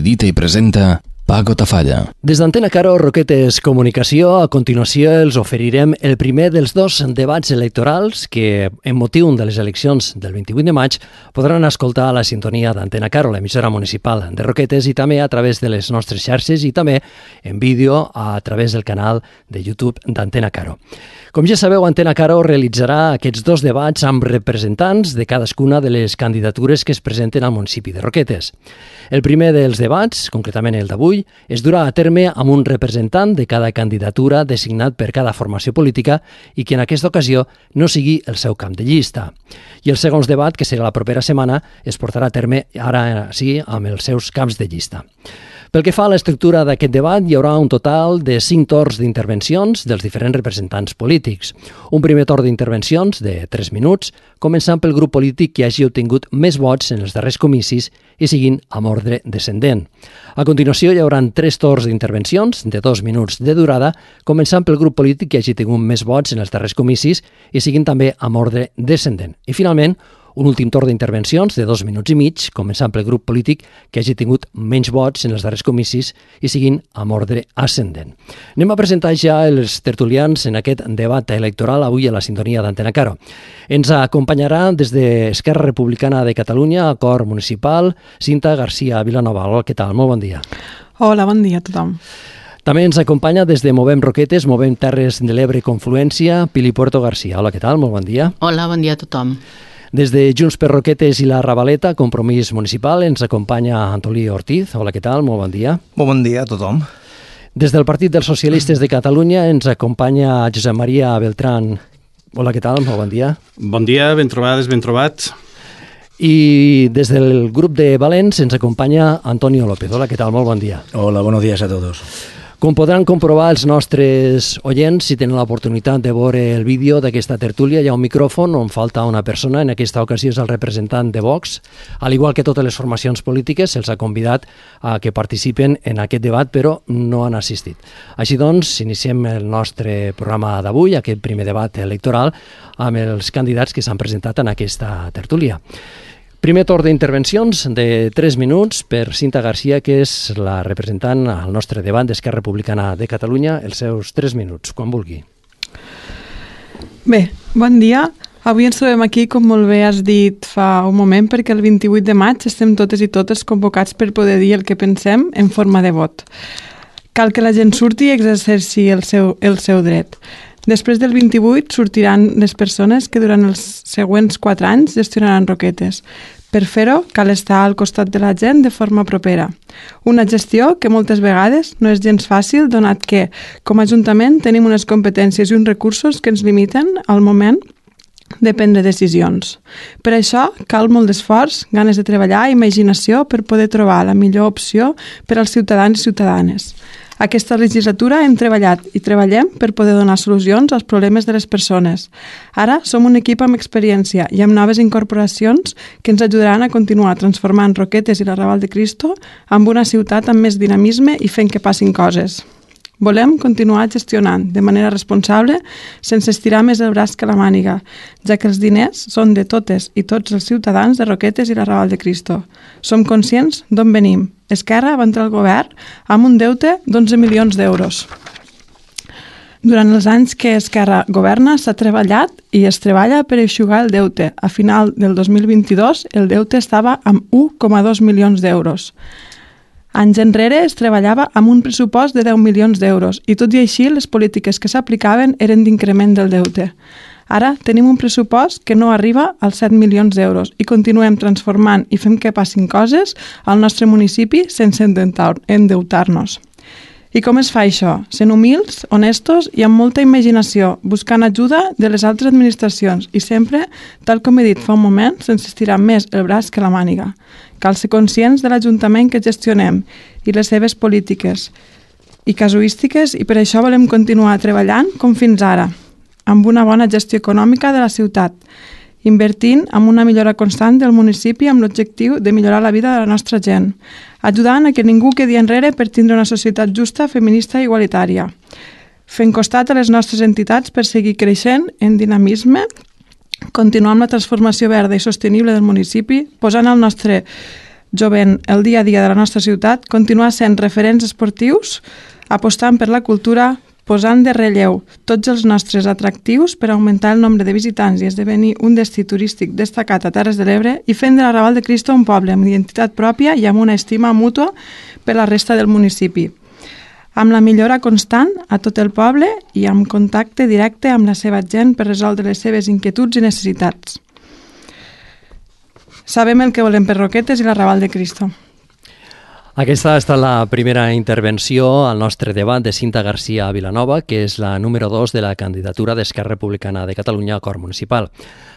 edita i presenta Paco Tafalla. Des d'Antena Caro, Roquetes Comunicació, a continuació els oferirem el primer dels dos debats electorals que, en motiu de les eleccions del 28 de maig, podran escoltar a la sintonia d'Antena Caro, l'emissora municipal de Roquetes, i també a través de les nostres xarxes i també en vídeo a través del canal de YouTube d'Antena Caro. Com ja sabeu, Antena Caro realitzarà aquests dos debats amb representants de cadascuna de les candidatures que es presenten al municipi de Roquetes. El primer dels debats, concretament el d'avui, es durà a terme amb un representant de cada candidatura designat per cada formació política i que en aquesta ocasió no sigui el seu camp de llista. I el segon debat, que serà la propera setmana, es portarà a terme ara sí amb els seus camps de llista. Pel que fa a l'estructura d'aquest debat, hi haurà un total de 5 torns d'intervencions dels diferents representants polítics. Un primer torn d'intervencions de 3 minuts, començant pel grup polític que hagi obtingut més vots en els darrers comicis i seguint amb ordre descendent. A continuació, hi haurà 3 torns d'intervencions de 2 minuts de durada, començant pel grup polític que hagi tingut més vots en els darrers comicis i seguint també amb ordre descendent. I finalment, un últim torn d'intervencions de 2 minuts i mig, començant pel grup polític que hagi tingut menys vots en els darrers comicis i seguint amb ordre ascendent. Anem a presentar ja els tertulians en aquest debat electoral avui a la sintonia d'Antena Caro. Ens acompanyarà des d'Esquerra Republicana de Catalunya, Acord Municipal, Cinta García Vilanova. Hola, què tal? Molt bon dia. Hola, bon dia a tothom. També ens acompanya des de Movem Roquetes, Movem Terres de l'Ebre i Confluència, Pili Puerto García. Hola, què tal? Molt bon dia. Hola, bon dia a tothom. Des de Junts per Roquetes i la Ravaleta, Compromís Municipal, ens acompanya Antolí Ortiz. Hola, què tal? Molt bon dia. Molt bon dia a tothom. Des del Partit dels Socialistes de Catalunya ens acompanya Josep Maria Beltrán. Hola, què tal? Molt bon dia. Bon dia, ben trobades, ben trobats. I des del grup de Valents ens acompanya Antonio López. Hola, què tal? Molt bon dia. Hola, buenos días a todos. Com podran comprovar els nostres oients, si tenen l'oportunitat de veure el vídeo d'aquesta tertúlia, hi ha un micròfon on falta una persona, en aquesta ocasió és el representant de Vox. Al igual que totes les formacions polítiques, se'ls ha convidat a que participen en aquest debat, però no han assistit. Així doncs, iniciem el nostre programa d'avui, aquest primer debat electoral, amb els candidats que s'han presentat en aquesta tertúlia. Primer torn d'intervencions de 3 minuts per Cinta García, que és la representant al nostre debat d'Esquerra Republicana de Catalunya. Els seus 3 minuts, quan vulgui. Bé, bon dia. Avui ens trobem aquí, com molt bé has dit fa un moment, perquè el 28 de maig estem totes i totes convocats per poder dir el que pensem en forma de vot. Cal que la gent surti i exerceixi el seu dret. Després del 28 sortiran les persones que durant els següents 4 anys gestionaran Roquetes. Per fer-ho, cal estar al costat de la gent de forma propera. Una gestió que moltes vegades no és gens fàcil, donat que, com a Ajuntament, tenim unes competències i uns recursos que ens limiten al moment de prendre decisions. Per això, cal molt d'esforç, ganes de treballar i imaginació per poder trobar la millor opció per als ciutadans i ciutadanes. Aquesta legislatura hem treballat i treballem per poder donar solucions als problemes de les persones. Ara som un equip amb experiència i amb noves incorporacions que ens ajudaran a continuar transformant Roquetes i la Raval de Cristo amb una ciutat amb més dinamisme i fent que passin coses. Volem continuar gestionant de manera responsable sense estirar més el braç que la màniga, ja que els diners són de totes i tots els ciutadans de Roquetes i la Raval de Cristo. Som conscients d'on venim. Esquerra va entrar al govern amb un deute d'11 milions d'euros. Durant els anys que Esquerra governa s'ha treballat i es treballa per eixugar el deute. A final del 2022 el deute estava amb 1,2 milions d'euros. Anys enrere es treballava amb un pressupost de 10 milions d'euros i tot i així les polítiques que s'aplicaven eren d'increment del deute. Ara tenim un pressupost que no arriba als 7 milions d'euros i continuem transformant i fem que passin coses al nostre municipi sense endeutar-nos. I com es fa això? Sent humils, honestos i amb molta imaginació, buscant ajuda de les altres administracions i sempre, tal com he dit fa un moment, sense estirar més el braç que la màniga. Cal ser conscients de l'Ajuntament que gestionem i les seves polítiques i casuístiques i per això volem continuar treballant com fins ara, amb una bona gestió econòmica de la ciutat, invertint en una millora constant del municipi amb l'objectiu de millorar la vida de la nostra gent, ajudant a que ningú quedi enrere per tindre una societat justa, feminista i igualitària, fent costat a les nostres entitats per seguir creixent en dinamisme, continuar amb la transformació verda i sostenible del municipi, posant el nostre jovent el dia a dia de la nostra ciutat, continuar sent referents esportius, apostant per la cultura, posant de relleu tots els nostres atractius per augmentar el nombre de visitants i esdevenir un destí turístic destacat a Terres de l'Ebre i fent de la Raval de Cristo un poble amb identitat pròpia i amb una estima mútua per la resta del municipi, amb la millora constant a tot el poble i amb contacte directe amb la seva gent per resoldre les seves inquietuds i necessitats. Sabem el que volem per Roquetes i la Raval de Cristo. Aquesta ha estat la primera intervenció al nostre debat de Cinta García Vilanova, que és la número 2 de la candidatura d'Esquerra Republicana de Catalunya al Cor Municipal.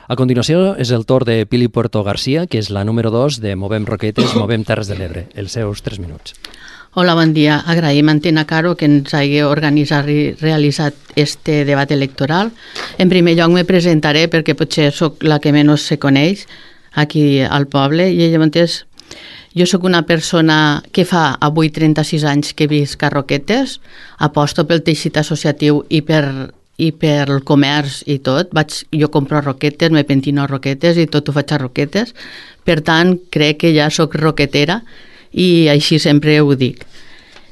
A continuació és el torn de Pili Puerto García, que és la número 2 de Movem Roquetes, Movem Terres de l'Ebre. Els seus 3 minuts. Hola, bon dia. Agraïm a Antena Caro que ens hagi organitzat i realitzat este debat electoral. En primer lloc me presentaré perquè potser sóc la que menys se coneix aquí al poble i llavors jo sóc una persona que fa avui 36 anys que visc a Roquetes, aposto pel teixit associatiu i per el comerç i tot. Jo compro a Roquetes, me pentino a Roquetes i tot ho faig a Roquetes. Per tant, crec que ja sóc roquetera i així sempre ho dic.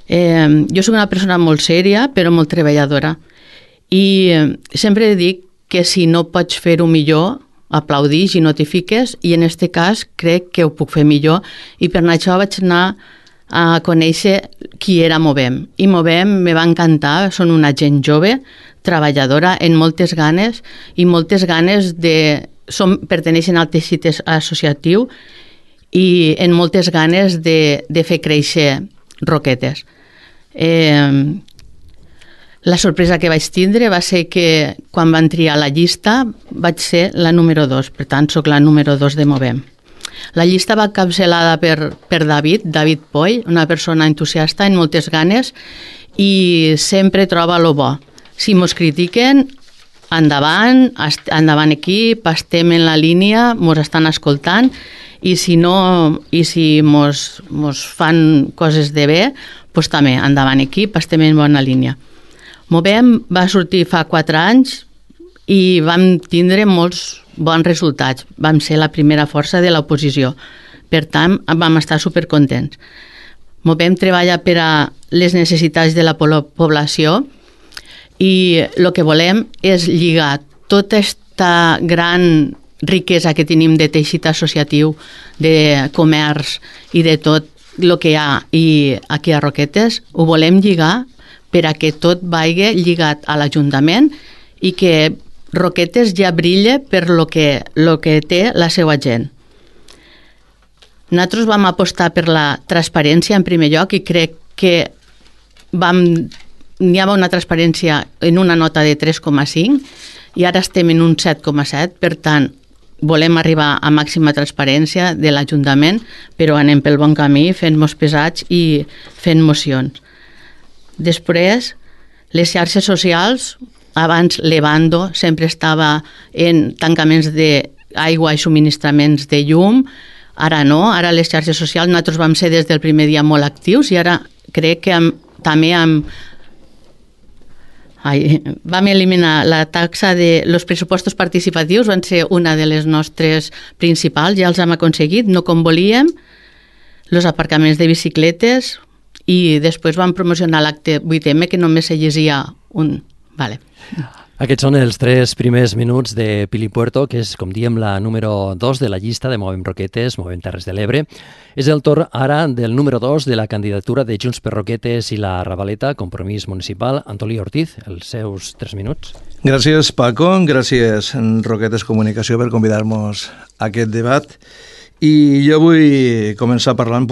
Jo sóc una persona molt sèria però molt treballadora i sempre dic que si no pots fer-ho millor, aplaudix i notifiques, i en aquest cas crec que ho puc fer millor i per això vaig anar a conèixer qui era Movem. I Movem me va encantar, són una gent jove, treballadora, amb moltes ganes perteneixen al teixit associatiu i amb moltes ganes de fer créixer Roquetes. La sorpresa que vaig tindre va ser que quan van triar la llista vaig ser la número 2, per tant soc la número 2 de Movem. La llista va encapçalada per David Poll, una persona entusiasta amb moltes ganes i sempre troba lo bo. Si mos critiquen, endavant equip, estem en la línia, mos estan escoltant i si mos fan coses de bé, doncs també endavant equip, estem en bona línia. Movem va sortir fa 4 anys i vam tindre molts bons resultats. Vam ser la primera força de l'oposició. Per tant, vam estar supercontents. Movem treballa per a les necessitats de la població i el que volem és lligar tota aquesta gran riquesa que tenim de teixit associatiu, de comerç i de tot el que hi ha aquí a Roquetes, ho volem lligar per a que tot vagi lligat a l'Ajuntament i que Roquetes ja brilla per lo que té la seva gent. Nosaltres vam apostar per la transparència en primer lloc i crec que n'hi havia una transparència en una nota de 3,5 i ara estem en un 7,7, per tant volem arribar a màxima transparència de l'Ajuntament, però anem pel bon camí fent-nos pesats i fent mocions. Després, les xarxes socials, abans Levando sempre estava en tancaments d'aigua i subministraments de llum, ara no, ara les xarxes socials nosaltres vam ser des del primer dia molt actius i ara crec que també vam eliminar la taxa de los pressupostos participatius, van ser una de les nostres principals, ja els hem aconseguit, no com volíem, els aparcaments de bicicletes i després vam promocionar l'acte 8M que només se llegia un. Vale. Aquests són els 3 primers minuts de Pili Puerto, que és, com diem, la número 2 de la llista de Movem Roquetes, Movem Terres de l'Ebre. És el torn ara del número 2 de la candidatura de Junts per Roquetes i la Ravaleta, Compromís Municipal, Antolí Ortiz. Els seus 3 minuts. Gràcies, Paco. Gràcies, Roquetes Comunicació, per convidar-nos a aquest debat. I jo vull començar parlant,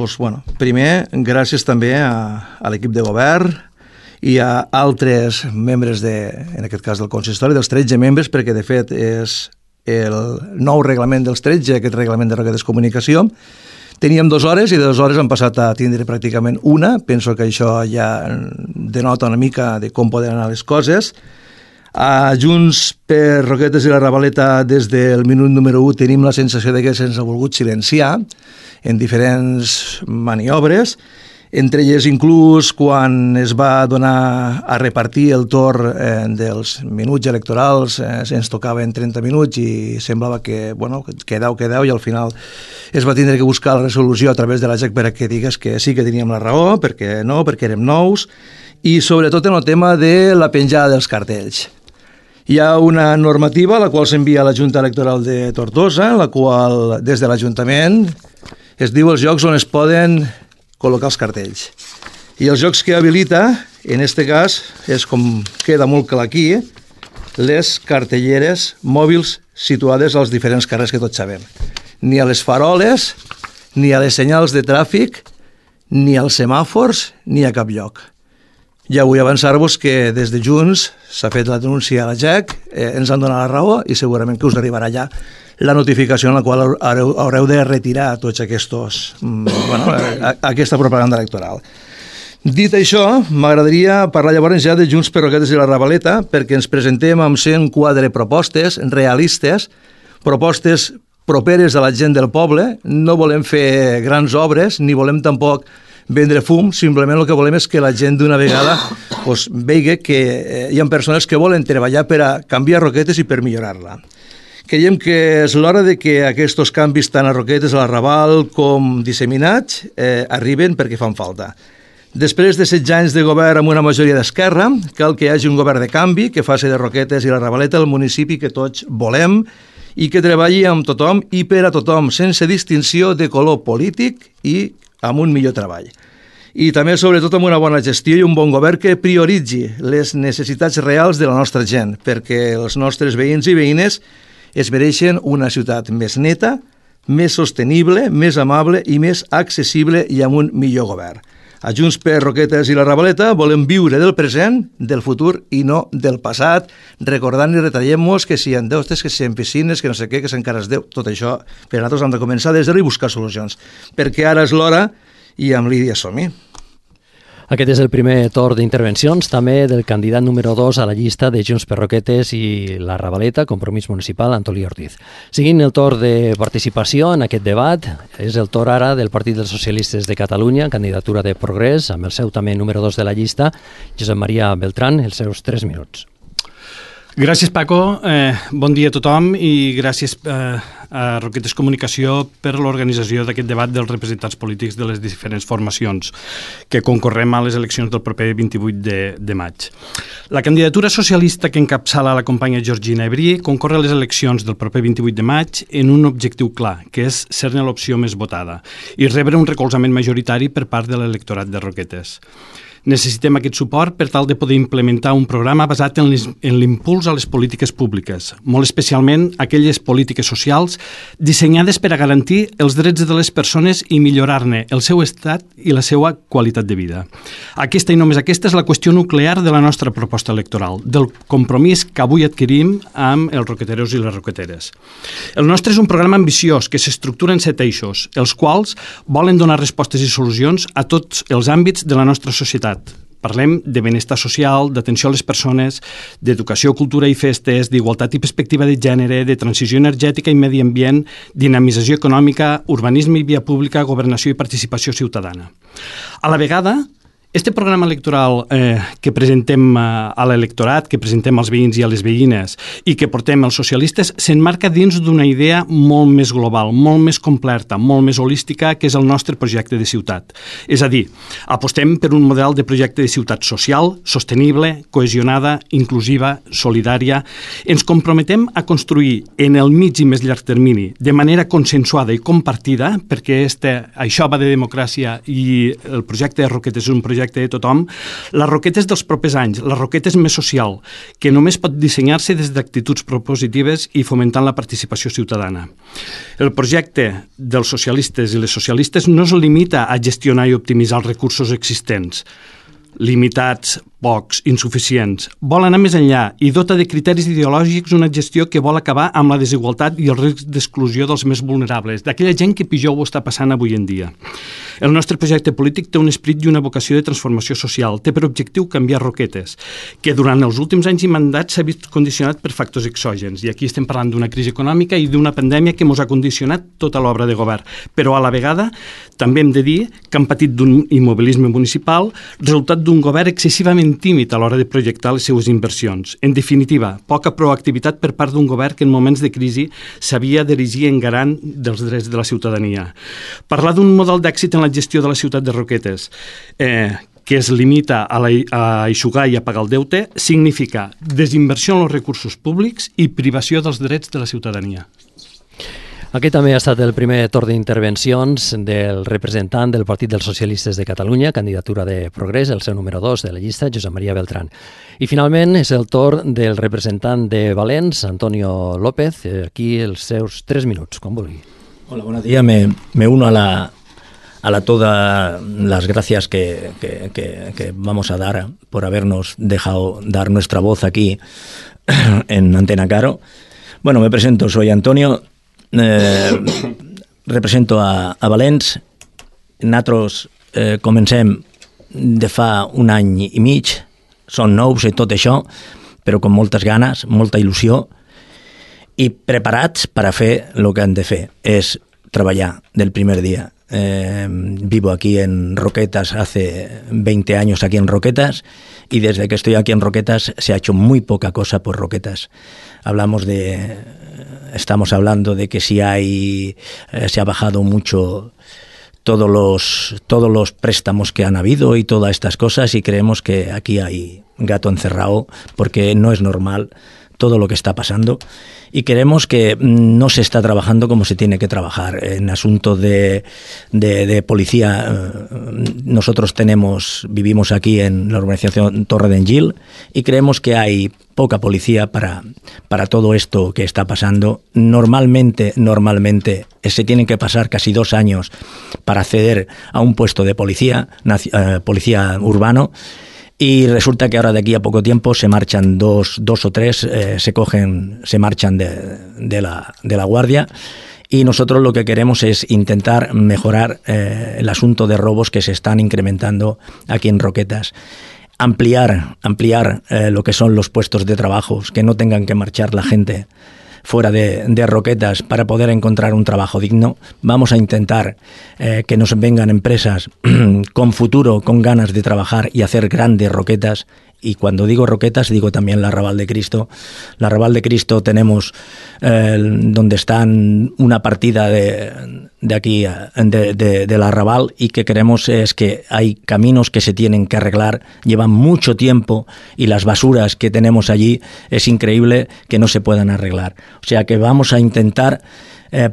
primer, gràcies també a l'equip de govern i a altres membres, en aquest cas del consistori, dels 13 membres, perquè de fet és el nou reglament dels 13, aquest reglament de Roquetes Comunicació. Teníem 2 hores i de 2 hores han passat a tindre pràcticament una. Penso que això ja denota una mica de com poden anar les coses. A Junts per Roquetes i la Ravaleta, des del minut número 1, tenim la sensació de que se'ns ha volgut silenciar en diferents maniobres entre elles inclús quan es va donar a repartir el torn dels minuts electorals, ens tocaven 30 minuts i semblava que, bueno, que 10 i al final es va tindre que buscar la resolució a través de la GEC perquè digués que sí que teníem la raó, perquè no, perquè érem nous, i sobretot en el tema de la penjada dels cartells. Hi ha una normativa la qual s'envia a la Junta Electoral de Tortosa, la qual des de l'Ajuntament es diu els llocs on es poden col·locar els cartells. I els jocs que habilita, en aquest cas, és com queda molt clar aquí, les cartelleres mòbils situades als diferents carrers que tots sabem. Ni a les faroles, ni a les senyals de tràfic, ni als semàfors, ni a cap lloc. Ja vull avançar-vos que des de Junts s'ha fet la denúncia a la GEC, ens han donat la raó i segurament que us arribarà ja la notificació en la qual haureu de retirar tots aquesta propaganda electoral. Dit això, m'agradaria parlar llavors ja de Junts per Roquetes i la Ravaleta, perquè ens presentem amb 104 propostes realistes, propostes properes a la gent del poble. No volem fer grans obres, ni volem tampoc vendre fum, simplement el que volem és que la gent d'una vegada vegi que hi ha persones que volen treballar per a canviar Roquetes i per millorar-la. Creiem que és l'hora de que aquests canvis tant a Roquetes, a la Raval com disseminats arriben perquè fan falta. Després de 16 anys de govern amb una majoria d'esquerra, cal que hi hagi un govern de canvi que faci de Roquetes i la Ravaleta el municipi que tots volem i que treballi amb tothom i per a tothom, sense distinció de color polític i amb un millor treball. I també, sobretot, amb una bona gestió i un bon govern que prioritzi les necessitats reals de la nostra gent, perquè els nostres veïns i veïnes es mereixen una ciutat més neta, més sostenible, més amable i més accessible i amb un millor govern. A Junts per Roquetes i la Ravaleta volem viure del present, del futur i no del passat, recordant i retraient-nos que si hi ha deutes, que si hi ha piscines, que no sé què, que encara es deu. Tot això, per a nosaltres hem de començar des d'ara i buscar solucions, perquè ara és l'hora i amb Lídia som-hi. Aquest és el primer torn d'intervencions, també del candidat número 2 a la llista de Junts per Roquetes i la Ravaleta, Compromís Municipal, Antolí Ortiz. Seguint el torn de participació en aquest debat, és el torn ara del Partit dels Socialistes de Catalunya, candidatura de Progrés, amb el seu també número 2 de la llista, Josep Maria Beltrán, els seus 3 minuts. Gràcies, Paco. Bon dia a tothom i gràcies a Roquetes Comunicació per l'organització d'aquest debat dels representants polítics de les diferents formacions que concorrem a les eleccions del proper 28 de maig. La candidatura socialista que encapçala la companya Georgina Ebrí concorre a les eleccions del proper 28 de maig en un objectiu clar, que és ser-ne l'opció més votada i rebre un recolzament majoritari per part de l'electorat de Roquetes. Necessitem aquest suport per tal de poder implementar un programa basat en l'impuls a les polítiques públiques, molt especialment aquelles polítiques socials dissenyades per a garantir els drets de les persones i millorar-ne el seu estat i la seva qualitat de vida. Aquesta i només aquesta és la qüestió nuclear de la nostra proposta electoral, del compromís que avui adquirim amb els roqueteros i les roqueteres. El nostre és un programa ambiciós que s'estructura en 7 eixos, els quals volen donar respostes i solucions a tots els àmbits de la nostra societat. Parlem de benestar social, d'atenció a les persones, d'educació, cultura i festes, d'igualtat i perspectiva de gènere, de transició energètica i medi ambient, dinamització econòmica, urbanisme i via pública, governació i participació ciutadana. A la vegada, este programa electoral que presentem a l'electorat, que presentem als veïns i a les veïnes i que portem els socialistes, s'enmarca dins d'una idea molt més global, molt més completa, molt més holística, que és el nostre projecte de ciutat. És a dir, apostem per un model de projecte de ciutat social, sostenible, cohesionada, inclusiva, solidària. Ens comprometem a construir en el mig i més llarg termini, de manera consensuada i compartida, perquè això va de democràcia i el projecte de Roquetes és un projecte de tothom, les Roquetes dels propers anys, les Roquetes més social, que només pot dissenyar-se des d'actituds propositives i fomentant la participació ciutadana. El projecte dels socialistes i les socialistes no es limita a gestionar i optimitzar els recursos existents, limitats pocs, insuficients. Vol anar més enllà i dota de criteris ideològics una gestió que vol acabar amb la desigualtat i el risc d'exclusió dels més vulnerables, d'aquella gent que pitjor ho està passant avui en dia. El nostre projecte polític té un esperit i una vocació de transformació social. Té per objectiu canviar Roquetes, que durant els últims anys i mandats s'ha vist condicionat per factors exògens. I aquí estem parlant d'una crisi econòmica i d'una pandèmia que ens ha condicionat tota l'obra de govern. Però a la vegada també hem de dir que han patit d'un immobilisme municipal, resultat d'un govern excessivament tímid a l'hora de projectar les seues inversions. En definitiva, poca proactivitat per part d'un govern que en moments de crisi s'havia d'erigir en garant dels drets de la ciutadania. Parlar d'un model d'èxit en la gestió de la ciutat de Roquetes, que es limita a eixugar i a pagar el deute, significa desinversió en els recursos públics i privació dels drets de la ciutadania. Aquest també ha estat el primer torn d'intervencions del representant del Partit dels Socialistes de Catalunya, candidatura de Progrés, el seu número 2 de la llista, Josep Maria Beltrán. I finalment és el torn del representant de Valens, Antonio López, aquí els seus 3 minuts, quan vulgui. Hola, buenos días. Me uno a todas las gracias que vamos a dar por habernos dejado dar nuestra voz aquí en Antena Caro. Bueno, me presento, soy Antonio. Represento a Valens. Nosaltres comencem de fa un any i mig, són nous i tot això, però amb moltes ganes, molta il·lusió i preparats per a fer el que han de fer, és treballar del primer dia. Vivo aquí en Roquetas hace 20 años aquí en Roquetas y desde que estoy aquí en Roquetas se ha hecho muy poca cosa por Roquetas. Estamos hablando de que se ha bajado mucho todos los préstamos que han habido y todas estas cosas, y creemos que aquí hay gato encerrado porque no es normal todo lo que está pasando, y creemos que no se está trabajando como se tiene que trabajar. En asuntos de policía, nosotros vivimos aquí en la urbanización Torre d'Engil y creemos que hay poca policía para todo esto que está pasando. Normalmente se tienen que pasar casi 2 años para acceder a un puesto de policía urbano. Y resulta que ahora de aquí a poco tiempo se marchan dos o tres, se marchan de la guardia, y nosotros lo que queremos es intentar mejorar el asunto de robos que se están incrementando aquí en Roquetas. Ampliar lo que son los puestos de trabajo, que no tengan que marchar la gente fuera de Roquetas para poder encontrar un trabajo digno. Vamos a intentar que nos vengan empresas con futuro, con ganas de trabajar y hacer grandes Roquetas. Y cuando digo Roquetas, digo también la Arrabal de Cristo. La Arrabal de Cristo tenemos donde están una partida de aquí, de la Arrabal, y que queremos es que hay caminos que se tienen que arreglar, llevan mucho tiempo, y las basuras que tenemos allí es increíble que no se puedan arreglar. O sea que vamos a intentar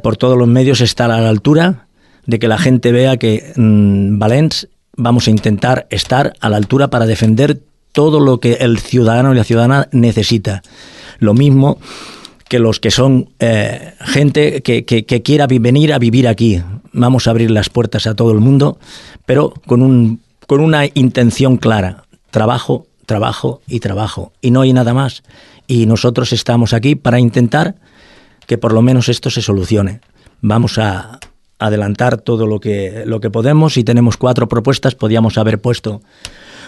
por todos los medios estar a la altura de que la gente vea que Valens vamos a intentar estar a la altura para defender todo lo que el ciudadano y la ciudadana necesita. Lo mismo que los que son gente que quiera venir a vivir aquí. Vamos a abrir las puertas a todo el mundo, pero con una intención clara. Trabajo, trabajo y trabajo. Y no hay nada más. Y nosotros estamos aquí para intentar que por lo menos esto se solucione. Vamos a adelantar todo lo que podemos, y tenemos 4 propuestas. Podíamos haber puesto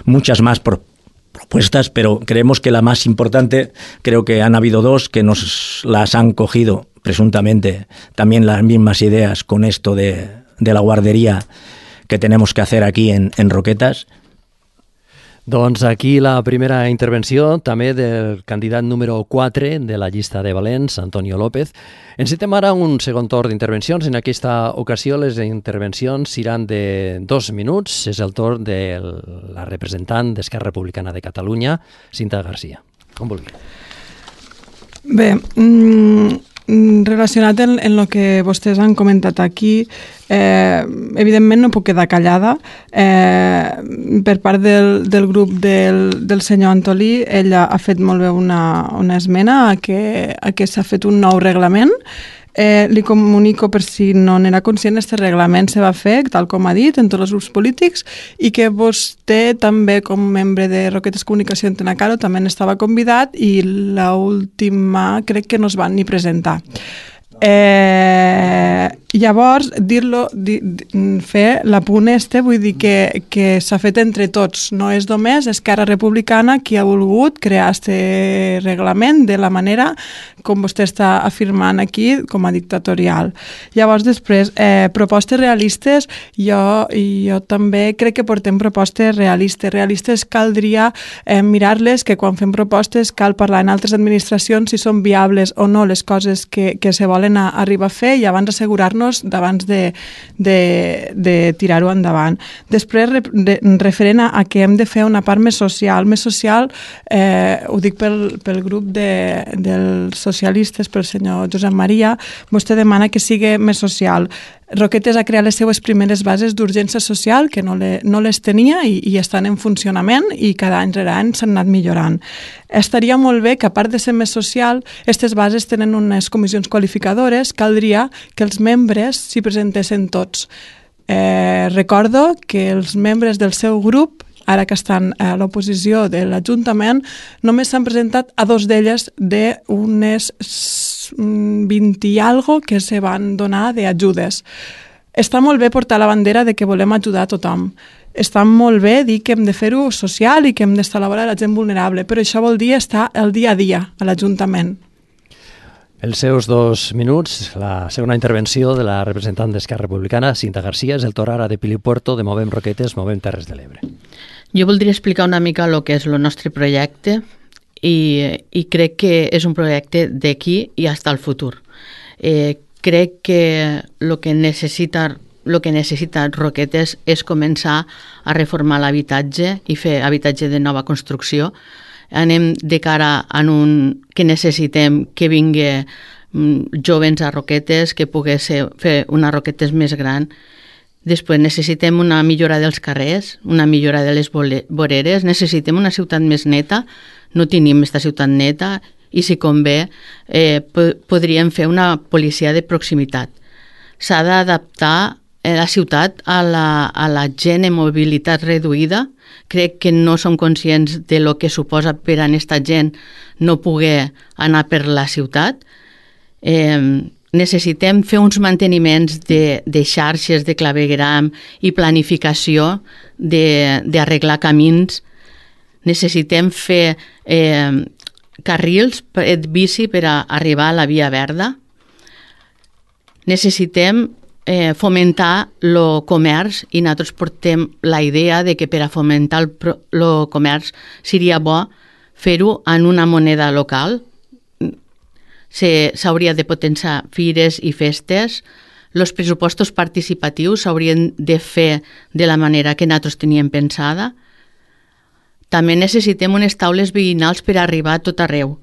muchas más propuestas, pero creemos que la más importante, creo que han habido 2 que nos las han cogido presuntamente también las mismas ideas con esto de la guardería que tenemos que hacer aquí en Roquetas. Doncs aquí la primera intervenció també del candidat número 4 de la llista de Valens, Antonio López. Encetem ara un segon torn d'intervencions. En aquesta ocasió les intervencions seran de 2 minuts. És el torn de la representant d'Esquerra Republicana de Catalunya, Cinta Garcia. Com vulgui. Bé, relacionat en el que vostès han comentat aquí, evidentment no puc quedar callada. Per part del grup del senyor Antolí, ell ha fet molt bé una esmena a que s'ha fet un nou reglament Li comunico, per si no n'era conscient, este reglament se va fer, tal com ha dit, en tots els grups polítics, i que vostè també, com membre de Roquetes Comunicació Antena Caro, també n'estava convidat i l'última crec que no es van ni presentar. Llavors, fer l'apunt vull dir que s'ha fet entre tots, no és només Esquerra Republicana qui ha volgut crear aquest reglament de la manera com vostè està afirmant aquí com a dictatorial. Llavors, després, propostes realistes, jo també crec que portem propostes realistes. Realistes caldria mirar-les, que quan fem propostes cal parlar en altres administracions si són viables o no les coses que se volen arribar a fer i abans assegurar-nos d'abans de tirar-ho endavant. Després, referent a que hem de fer una part més social, ho dic pel grup dels socialistes, pel senyor Josep Maria, vostè demana que sigui més social. Roquetes ha creat les seues primeres bases d'urgència social, que no les tenia i estan en funcionament i cada any rere any s'han anat millorant. Estaria molt bé que, a part de ser més social, aquestes bases tenen unes comissions qualificadores, caldria que els membres s'hi presentessin tots. Recordo que els membres del seu grup, ara que estan a l'oposició de l'Ajuntament, només s'han presentat a 2 d'elles d'unes 20 i algo que se van donar d'ajudes. Està molt bé portar la bandera de que volem ajudar a tothom. Està molt bé dir que hem de fer-ho social i que hem d'estar a la vora de la gent vulnerable, però això vol dir estar el dia a dia a l'Ajuntament. Els seus 2 minuts, la segona intervenció de la representant d'Esquerra Republicana, Cinta García, és el torn ara de Pilipuerto, de Movem Roquetes, Movem Terres de l'Ebre. Jo voldria explicar una mica el que és el nostre projecte i crec que és un projecte d'aquí i fins al futur. Crec que el que necessita Roquetes és començar a reformar l'habitatge i fer habitatge de nova construcció. Anem de cara a que necessitem que vingui jovens a Roquetes, que pogués fer una Roquetes més gran. Després necessitem una millora dels carrers, una millora de les voreres, necessitem una ciutat més neta, no tenim aquesta ciutat neta i si convé podríem fer una policia de proximitat. S'ha d'adaptar la ciutat a la gent amb mobilitat reduïda. Crec que no som conscients de lo que suposa per a aquesta gent no poder anar per la ciutat. Necessitem fer uns manteniments de xarxes de clavegueram i planificació d'arreglar camins. Necessitem fer carrils bici per a arribar a la via verda. Necessitem fomentar el comerç i nosaltres portem la idea de que per a fomentar el comerç seria bo fer-ho en una moneda local. S'hauria de potenciar fires i festes. Els pressupostos participatius s'haurien de fer de la manera que nosaltres teníem pensada. També necessitem unes taules veïnals per arribar a tot arreu.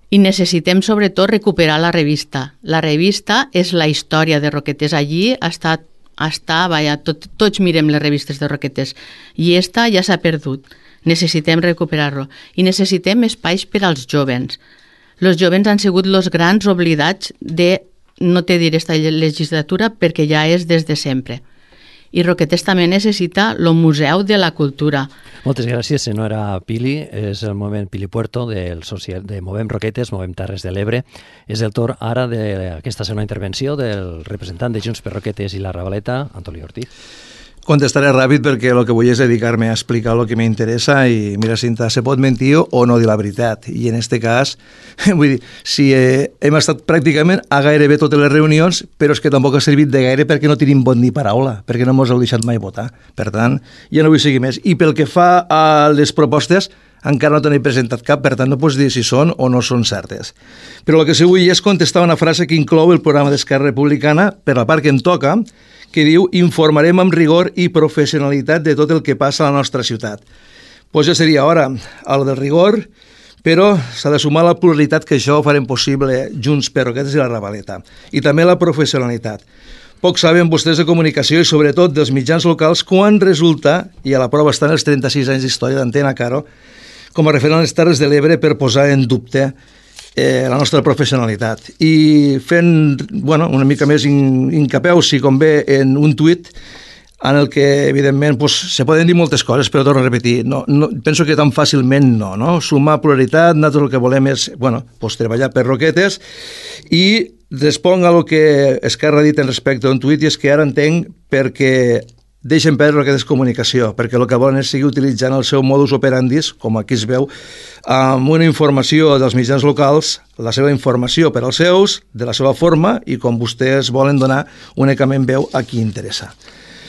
I necessitem, sobretot, recuperar la revista. La revista és la història de Roquetes. Allí tots mirem les revistes de Roquetes. I esta ja s'ha perdut. Necessitem recuperar-lo. I necessitem espais per als jovens. Els jovens han sigut els grans oblidats de, no te diré esta legislatura, perquè ja és des de sempre. I Roquetes també necessita el Museu de la Cultura. Moltes gràcies, senyora Pili. És el moment Pilipuerto de Movem Roquetes, Movem Terres de l'Ebre. És el torn ara d'aquesta segona intervenció del representant de Junts per Roquetes i la Ravaleta, Antoni Ortiz. Contestaré ràpid perquè el que vull és dedicar-me a explicar el que m'interessa i, mira, Cinta, se pot mentir o no dir la veritat. I en este cas, vull dir, si hem estat pràcticament a gairebé totes les reunions, però és que tampoc ha servit de gaire perquè no tenim vot ni paraula, perquè no ens heu deixat mai votar. Per tant, ja no vull seguir més. I pel que fa a les propostes, encara no t'he presentat cap, per tant no pots dir si són o no són certes. Però el que sí vull és contestar una frase que inclou el programa d'Esquerra Republicana, per la part que em toca, que diu: informarem amb rigor i professionalitat de tot el que passa a la nostra ciutat. Doncs ja seria hora, el del rigor, però s'ha de sumar la pluralitat, que això ho farem possible Junts per Roquetes i la Ravaleta, i també la professionalitat. Poc saben vostès de comunicació i sobretot dels mitjans locals quan resulta, i a la prova estan els 36 anys d'història d'Antena Caro, com a referent a les Terres de l'Ebre, per posar en dubte la nostra professionalitat. I fent una mica més incapeu, si convé, en un tuit en el que, evidentment, se poden dir moltes coses, però torno a repetir, penso que tan fàcilment no? Sumar pluralitat, nosaltres el que volem és treballar per Roquetes, i responc a lo que Esquerra ha dit en respecte a un tuit, i és que ara entenc perquè deixen perdre Roquetes Comunicació, perquè el que volen és seguir utilitzant el seu modus operandis, com aquí es veu, amb una informació dels mitjans locals, la seva informació per als seus, de la seva forma, i com vostès volen donar únicament veu a qui interessa.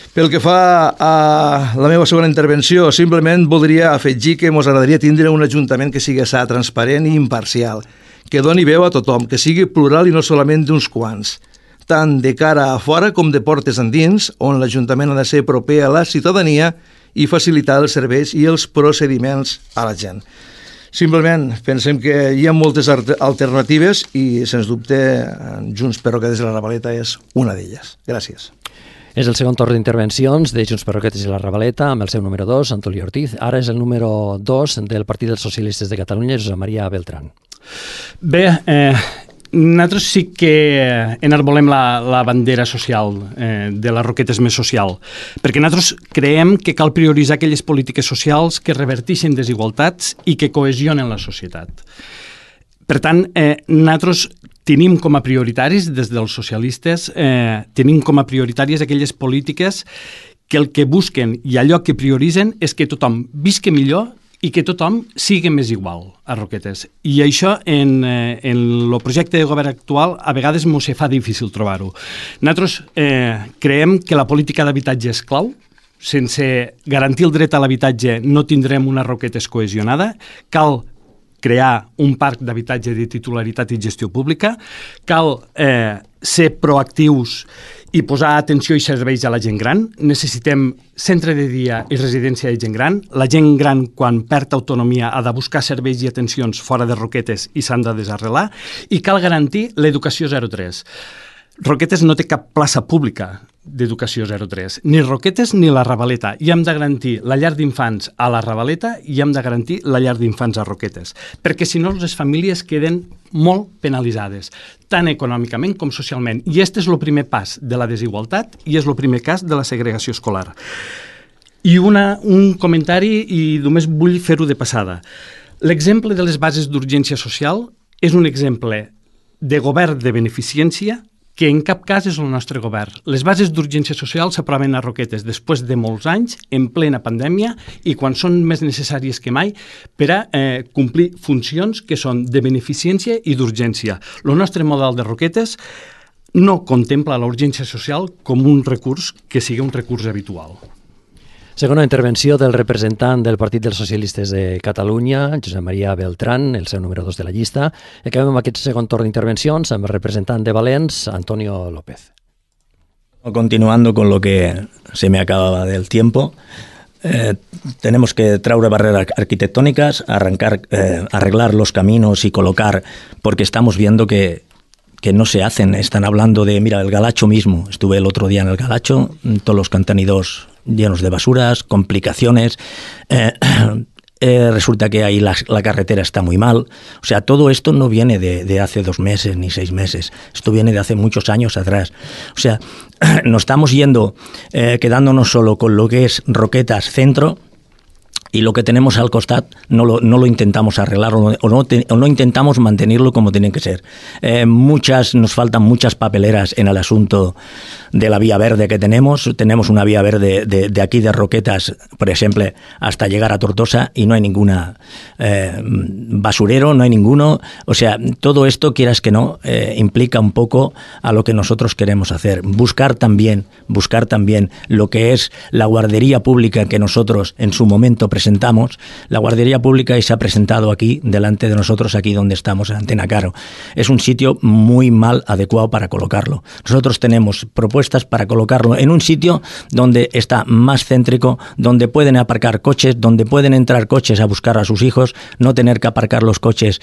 Pel que fa a la meva segona intervenció, simplement voldria afegir que ens agradaria tindre un ajuntament que sigui sa, transparent i imparcial, que doni veu a tothom, que sigui plural i no solament d'uns quants, tant de cara a fora com de portes endins, on l'Ajuntament ha de ser proper a la ciutadania i facilitar els serveis i els procediments a la gent. Simplement pensem que hi ha moltes alternatives i, sens dubte, Junts per Roquetes i la Ravaleta és una d'elles. Gràcies. És el segon torn d'intervencions de Junts per Roquetes i la Ravaleta, amb el seu número 2, Antoni Ortiz. Ara és el número 2 del Partit dels Socialistes de Catalunya, Josep Maria Beltrán. Bé, nosaltres sí que enarbolem la bandera social, de les Roquetes més social, perquè nosaltres creiem que cal prioritzar aquelles polítiques socials que reverteixen desigualtats i que cohesionen la societat. Per tant, nosaltres tenim com a prioritaris, des dels socialistes, tenim com a prioritàries aquelles polítiques que el que busquen i allò que prioritzen és que tothom visqui millor i que tothom sigui més igual a Roquetes. I això en el projecte de govern actual a vegades ens fa difícil trobar-ho. Nosaltres creiem que la política d'habitatge és clau. Sense garantir el dret a l'habitatge no tindrem una Roquetes cohesionada. Cal crear un parc d'habitatge de titularitat i gestió pública. Cal ser proactius i posar atenció i serveis a la gent gran. Necessitem centre de dia i residència de gent gran. La gent gran, quan perd autonomia, ha de buscar serveis i atencions fora de Roquetes i s'han de desarrelar. I cal garantir l'educació 0-3. Roquetes no té cap plaça pública d'educació 0-3, ni Roquetes ni la Ravaleta. I hem de garantir la llar d'infants a la Ravaleta i hem de garantir la llar d'infants a Roquetes, perquè si no les famílies queden molt penalitzades, tant econòmicament com socialment. I aquest és el primer pas de la desigualtat i és el primer cas de la segregació escolar. I un comentari, i només vull fer-ho de passada. L'exemple de les bases d'urgència social és un exemple de govern de beneficència que en cap cas és el nostre govern. Les bases d'urgència social s'aproven a Roquetes després de molts anys, en plena pandèmia, i quan són més necessàries que mai per a complir funcions que són de beneficència i d'urgència. El nostre model de Roquetes no contempla la urgència social com un recurs que sigui un recurs habitual. Segona intervenció del representant del Partit dels Socialistes de Catalunya, Josep Maria Beltrán, el seu número 2 de la llista. Acabem amb aquest segon torn d'intervencions amb el representant de Valens, Antonio López. Continuando con lo que se me acababa del tiempo, tenemos que traer barreras arquitectónicas, arreglar los caminos y colocar, porque estamos viendo que no se hacen. Están hablando de, mira, el Galacho mismo. Estuve el otro día en el Galacho, todos los contenidos llenos de basuras, complicaciones. Resulta que ahí la carretera está muy mal. O sea, todo esto no viene de hace 2 meses ni 6 meses. Esto viene de hace muchos años atrás. O sea, nos estamos yendo, quedándonos solo con lo que es Roquetas Centro, y lo que tenemos al costat no lo intentamos arreglar o no intentamos mantenerlo como tiene que ser. Nos faltan muchas papeleras en el asunto de la vía verde que tenemos. Tenemos una vía verde de aquí de Roquetas, por ejemplo, hasta llegar a Tortosa, y no hay ninguna basurero, no hay ninguno. O sea, todo esto, quieras que no, implica un poco a lo que nosotros queremos hacer. Buscar también lo que es la guardería pública que nosotros en su momento presentamos. La guardería pública y se ha presentado aquí, delante de nosotros, aquí donde estamos, en Antena Caro. Es un sitio muy mal adecuado para colocarlo. Nosotros tenemos propuestas para colocarlo en un sitio donde está más céntrico, donde pueden aparcar coches, donde pueden entrar coches a buscar a sus hijos, no tener que aparcar los coches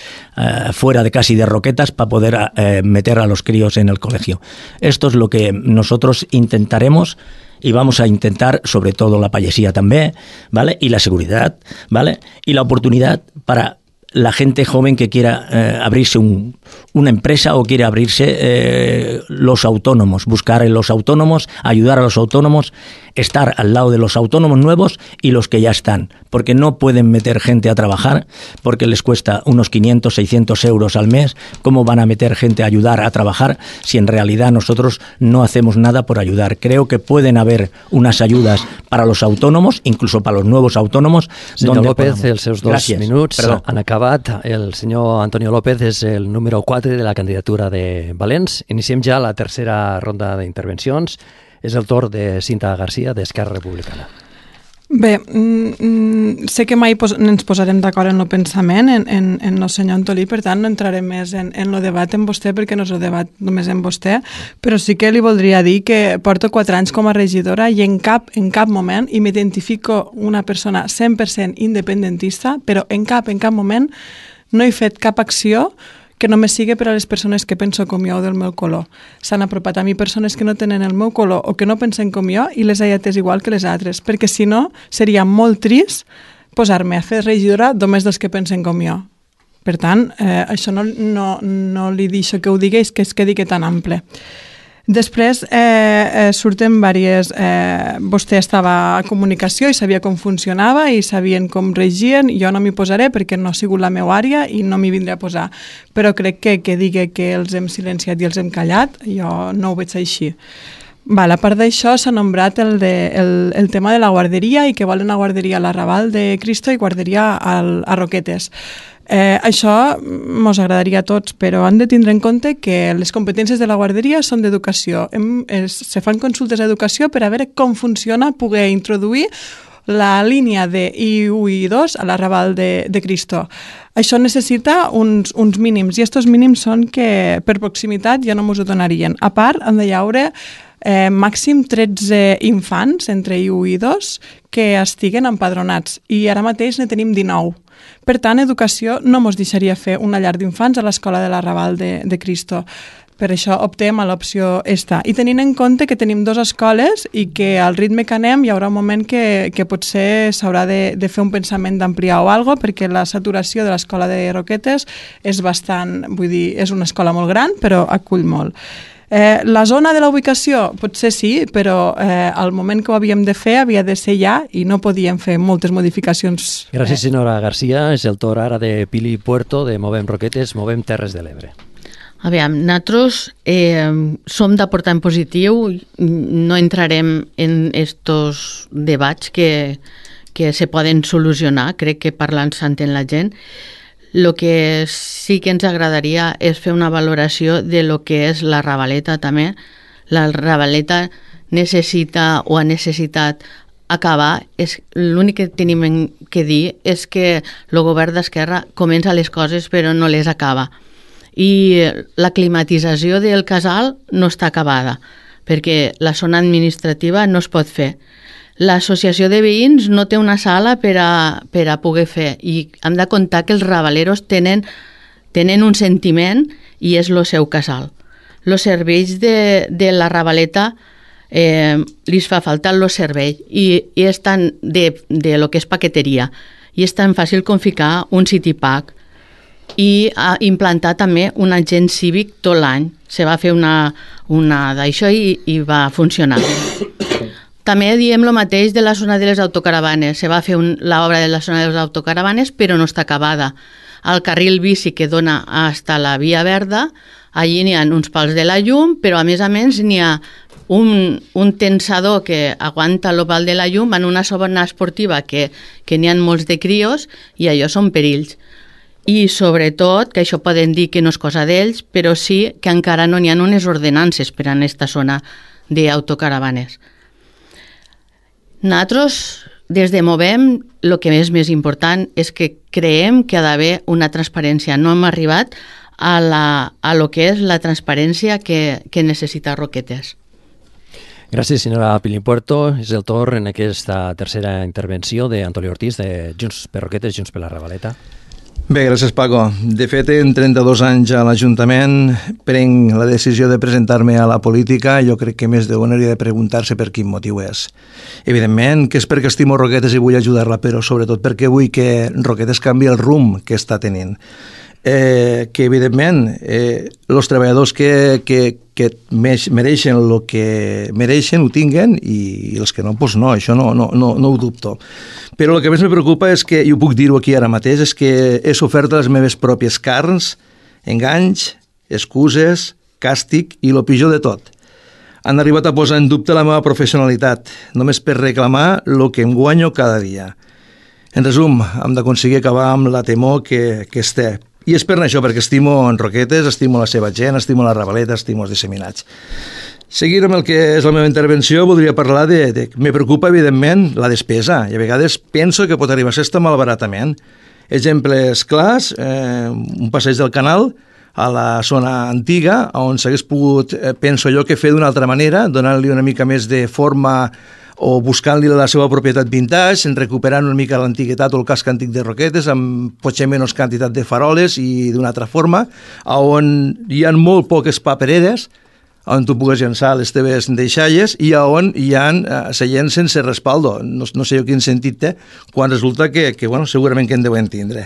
fuera de casi de Roquetas para poder meter a los críos en el colegio. Esto es lo que nosotros intentaremos. Y vamos a intentar, sobre todo la payesía también, ¿vale? Y la seguridad, ¿vale? Y la oportunidad para la gente joven que quiera abrirse una empresa o quiere abrirse los autónomos, buscar en los autónomos, ayudar a los autónomos, estar al lado de los autónomos nuevos y los que ya están, porque no pueden meter gente a trabajar porque les cuesta unos 500, 600 euros al mes. ¿Cómo van a meter gente a ayudar a trabajar si en realidad nosotros no hacemos nada por ayudar? Creo que pueden haber unas ayudas para los autónomos, incluso para los nuevos autónomos. Senyor López, els seus 2 minuts han acabat. El senyor Antonio López és el número 4 de la candidatura de Valents. Iniciem ja la tercera ronda d'intervencions. És el torn de Cinta Garcia, d'Esquerra Republicana. Bé, sé que mai ens posarem d'acord en el pensament, en el senyor Antolí, per tant no entraré més en el debat amb vostè, perquè no és el debat només amb vostè, però sí que li voldria dir que porto 4 anys com a regidora i en cap moment, i m'identifico una persona 100% independentista, però en cap moment no he fet cap acció que només sigui per a les persones que penso com jo o del meu color. S'han apropat a mi persones que no tenen el meu color o que no pensen com jo i les he atès igual que les altres, perquè si no seria molt trist posar-me a fer regidora només dels que pensen com jo. Per tant, això no li deixo que ho digués, que es quedi tan ample. Després surten diverses... vostè estava a comunicació i sabia com funcionava i sabien com regien. Jo no m'hi posaré perquè no ha sigut la meva àrea i no m'hi vindré a posar. Però crec que digui que els hem silenciat i els hem callat, jo no ho veig així. A part d'això, s'ha nombrat el tema de la guarderia i que volen una guarderia a l'Arrabal de Cristo i guarderia a Roquetes. Això mos agradaria a tots, però han de tindre en compte que les competències de la guarderia són d'educació. Se fan consultes d'educació per a veure com funciona poder introduir la línia de I1 i I2 a l'Arrabal de Cristo. Això necessita uns mínims, i aquests mínims són que per proximitat ja no mos ho donarien. A part, han de hi haure màxim 13 infants entre I1 i I2 que estiguen empadronats, i ara mateix ne tenim 19. Per tant, educació no mos deixaria fer una llar d'infants a l'escola de l'Arrabal de Cristo. Per això optem a l'opció esta. I tenint en compte que tenim 2 escoles i que al ritme que anem hi haurà un moment que potser s'haurà de fer un pensament d'ampliar o alguna cosa, perquè la saturació de l'escola de Roquetes és bastant, vull dir, és una escola molt gran, però acull molt. La zona de la ubicació potser sí, però al moment que ho havíem de fer havia de ser ja i no podíem fer moltes modificacions. Gràcies, senyora Garcia. És el torn ara de Pili Puerto, de Movem Roquetes, Movem Terres de l'Ebre. Aviam, nosaltres som d'aportar en positiu, no entrarem en estos debats que se poden solucionar, crec que parlant s'entén la gent. El que sí que ens agradaria és fer una valoració de lo que és la Ravaleta també. La Ravaleta necessita o ha necessitat acabar. L'únic que tenim que dir és que el govern d'Esquerra comença les coses però no les acaba. I la climatització del casal no està acabada perquè la zona administrativa no es pot fer. L'associació de veïns no té una sala per a poder fer, i hem de comptar que els ravaleros tenen un sentiment i és el seu casal. Els serveis de la Ravaleta li fa falta el servei i és tan de lo que és paqueteria, i és tan fàcil com ficar un city pack i implantar també un agent cívic tot l'any. Se va fer una d'això i va funcionar. També diem el mateix de la zona de les autocaravanes. Se va fer l'obra de la zona de les autocaravanes, però no està acabada. Al carril bici que dona fins a la Via Verda, allí n'hi ha uns pals de la llum, però a més n'hi ha un tensador que aguanta el pal de la llum en una zona esportiva que n'hi ha molts de crios, i allò són perills. I sobretot, que això poden dir que no és cosa d'ells, però sí que encara no n'hi ha unes ordenances per a aquesta zona d'autocaravanes. Nosaltres, des de Movem, el que és més important és que creiem que ha d'haver una transparència. No hem arribat a lo que és la transparència que necessita Roquetes. Gràcies, senyora Pili Puerto. És el torn en aquesta tercera intervenció d'Antoni Ortiz, de Junts per Roquetes, Junts per la Ravaleta. Bé, gràcies, Paco. De fet, en 32 anys a l'Ajuntament prenc la decisió de presentar-me a la política. Jo crec que més d'un hauria de preguntar-se per quin motiu és. Evidentment que és perquè estimo Roquetes i vull ajudar-la, però sobretot perquè vull que Roquetes canvi el rumb que està tenint. Que evidentment els treballadors que mereixen el que mereixen ho tinguen i els que no, doncs no, això no ho dubto. Però el que més me preocupa és que, i ho puc dir-ho aquí ara mateix, és que he sofert les meves pròpies carns, enganys, excuses, càstig i el pitjor de tot. Han arribat a posar en dubte la meva professionalitat, només per reclamar el que em guanyo cada dia. En resum, hem d'aconseguir acabar amb la temor que es té. I és per això, perquè estimo en Roquetes, estimo la seva gent, estimo la Ravaleta, estimo els disseminats. Seguint amb el que és la meva intervenció, voldria parlar de... Me preocupa, evidentment, la despesa, i a vegades penso que pot arribar a ser este malbaratament. Exemples clars, un passeig del Canal a la zona antiga, on s'hagués pogut, penso jo, que fer d'una altra manera, donant-li una mica més de forma o buscant-li la seva propietat vintage, recuperant una mica l'antiguitat o el casc antic de Roquetes, amb potser menys quantitat de faroles i d'una altra forma, on hi ha molt poques papereres, on tu pugues llançar les teves deixalles i on hi ha seients sense respaldo. No sé jo quin sentit té, quan resulta que bueno, segurament que en deuen tindre.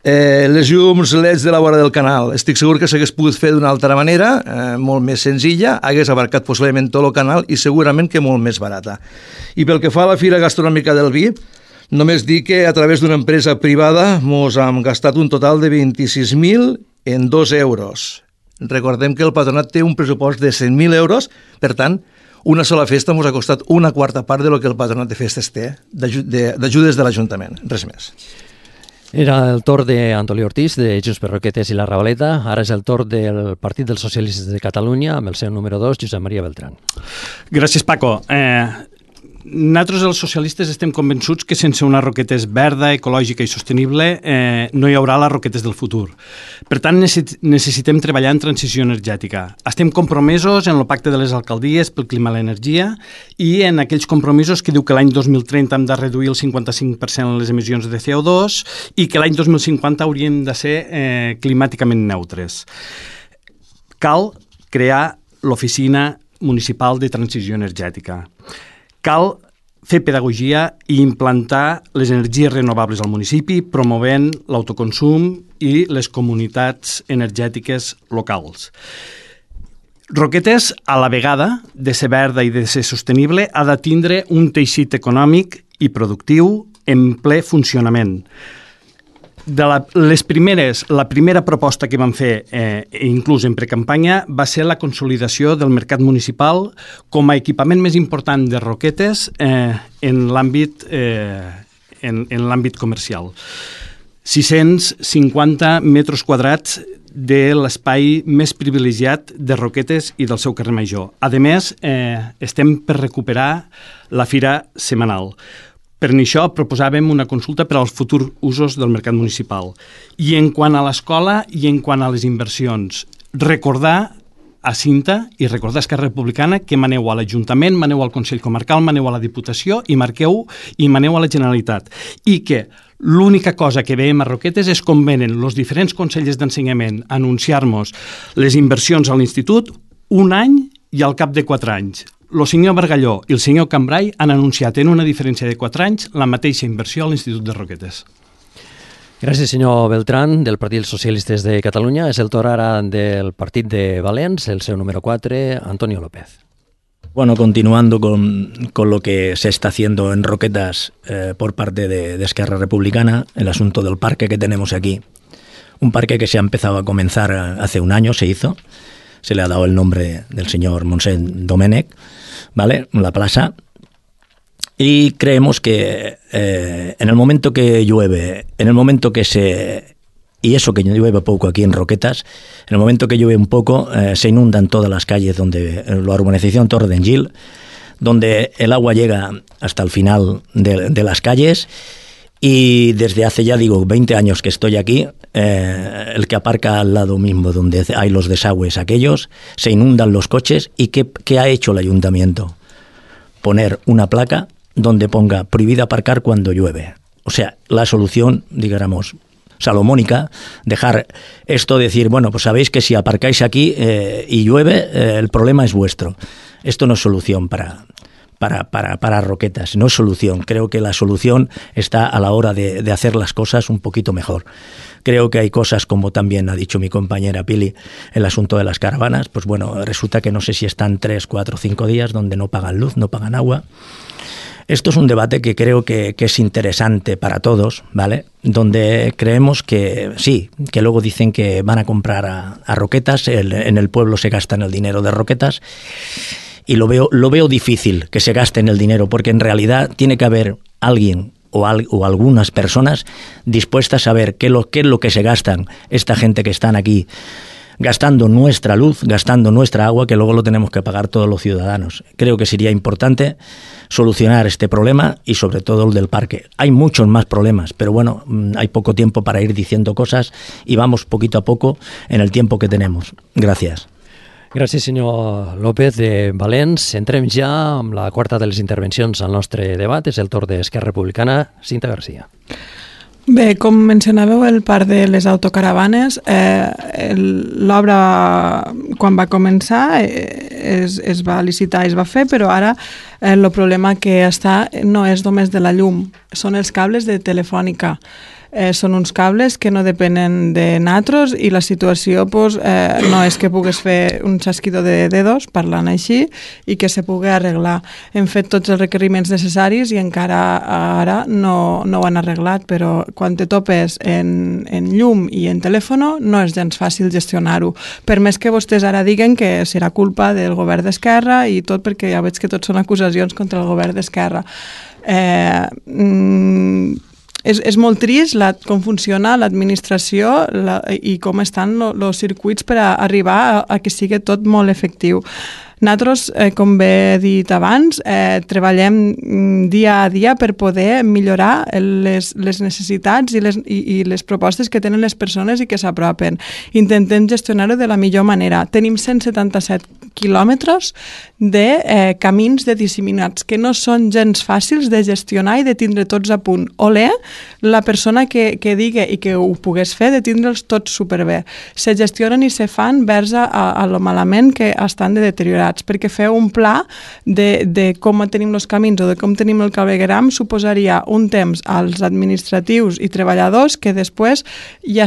Les llums LEDs de la vora del canal, estic segur que s'hagués pogut fer d'una altra manera, molt més senzilla, hagués abarcat possiblement tot el canal i segurament que molt més barata. I pel que fa a la Fira Gastronòmica del Vi, només dir que a través d'una empresa privada mos hem gastat un total de 26.000 en 2 euros. Recordem que el patronat té un pressupost de 100.000 euros, per tant, una sola festa ens ha costat una quarta part del que el patronat de festes té d'ajudes de l'Ajuntament, res més. Era el torn d'Antolí Ortiz, de Junts per Roquetes i la Ravaleta. Ara és el torn del Partit dels Socialistes de Catalunya, amb el seu número 2, Josep Maria Beltrán. Gràcies, Paco. Nosaltres, els socialistes, estem convençuts que sense una Roquetes verda, ecològica i sostenible no hi haurà les Roquetes del futur. Per tant, necessitem treballar en transició energètica. Estem compromesos en el pacte de les alcaldies pel clima i l'energia i en aquells compromisos que diu que l'any 2030 hem de reduir el 55% les emissions de CO2 i que l'any 2050 haurien de ser climàticament neutres. Cal crear l'Oficina Municipal de Transició Energètica. Cal fer pedagogia i implantar les energies renovables al municipi, promovent l'autoconsum i les comunitats energètiques locals. Roquetes, a la vegada de ser verda i de ser sostenible, ha de tindre un teixit econòmic i productiu en ple funcionament. La primera proposta que vam fer, inclús en precampanya, va ser la consolidació del mercat municipal com a equipament més important de Roquetes en l'àmbit comercial. 650 metres quadrats de l'espai més privilegiat de Roquetes i del seu carrer Major. A més, estem per recuperar la fira setmanal. Per això proposàvem una consulta per als futurs usos del mercat municipal. I en quant a l'escola i en quant a les inversions, recordar a Cinta i recordar a Esquerra Republicana que maneu a l'Ajuntament, maneu al Consell Comarcal, maneu a la Diputació i maneu a la Generalitat. I que l'única cosa que veiem a Roquetes és com venen els diferents consells d'ensenyament a anunciar-nos les inversions a l'Institut un any i al cap de 4 anys. El senyor Bargalló i el senyor Cambrai han anunciat en una diferència de 4 anys la mateixa inversió a l'Institut de Roquetes. Gràcies, senyor Beltrán, del Partit dels Socialistes de Catalunya. És el torn ara del Partit de Valents, el seu número 4, Antonio López. Bueno, continuando con lo que se está haciendo en Roquetas por parte de Esquerra Republicana, el asunto del parque que tenemos aquí. Un parque que se ha empezado a comenzar hace un año, se hizo. Se le ha dado el nombre del señor Monsen Domènech, ¿vale? La plaza. Y creemos que en el momento que llueve, y eso que llueve poco aquí en Roquetas, en el momento que llueve un poco, se inundan todas las calles donde la urbanización Torre d'Engil, donde el agua llega hasta el final de las calles. Y desde hace ya, 20 años que estoy aquí, el que aparca al lado mismo donde hay los desagües aquellos, se inundan los coches. ¿Y qué ha hecho el ayuntamiento? Poner una placa donde ponga prohibida aparcar cuando llueve. O sea, la solución, digamos, salomónica, dejar esto, decir, bueno, pues sabéis que si aparcáis aquí y llueve, el problema es vuestro. Esto no es solución para Roquetas, no es solución. Creo que la solución está a la hora de hacer las cosas un poquito mejor. Creo que hay cosas, como también ha dicho mi compañera Pili, el asunto de las caravanas, pues bueno, resulta que no sé si están 3, 4, 5 días donde no pagan luz, no pagan agua. Esto es un debate que creo que es interesante para todos, ¿vale? Donde creemos que sí, que luego dicen que van a comprar a Roquetas, en el pueblo se gastan el dinero de Roquetas, y lo veo difícil que se gasten el dinero, porque en realidad tiene que haber alguien o algunas personas dispuestas a ver qué es lo que se gastan esta gente que están aquí, gastando nuestra luz, gastando nuestra agua, que luego lo tenemos que pagar todos los ciudadanos. Creo que sería importante solucionar este problema y sobre todo el del parque. Hay muchos más problemas, pero bueno, hay poco tiempo para ir diciendo cosas y vamos poquito a poco en el tiempo que tenemos. Gràcies. Gràcies, senyor López de Valens. Entrem ja amb la quarta de les intervencions al nostre debat. És el torn d'Esquerra Republicana. Cinta Garcia. Bé, com mencionàveu, el parc de les autocaravanes, l'obra, quan va començar, es va licitar, es va fer, però ara el problema que està no és només de la llum, són els cables de Telefònica. Són uns cables que no depenen de natros i la situació no és que pugues fer un xasquidor de dedos, parlant així, i que se pugui arreglar. Hem fet tots els requeriments necessaris i encara ara no ho han arreglat, però quan te topes en llum i en telèfon no és gens fàcil gestionar-ho. Per més que vostès ara diguen que serà culpa del govern d'Esquerra i tot, perquè ja veig que tot són acusacions contra el govern d'Esquerra. És molt trist com funciona l'administració i com estan els circuits per arribar a que sigui tot molt efectiu. Nosaltres, com bé he dit abans, treballem dia a dia per poder millorar les necessitats i les propostes que tenen les persones i que s'apropen. Intentem gestionar-ho de la millor manera. Tenim 177 quilòmetres de camins de disseminats que no són gens fàcils de gestionar i de tindre tots a punt. Olé, la persona que digui i que ho pogués fer, de tindre'ls tots superbé. Se gestionen i se fan vers a lo malament que estan de deteriorats, perquè fer un pla de com tenim els camins o de com tenim el cablegram suposaria un temps als administratius i treballadors que després ja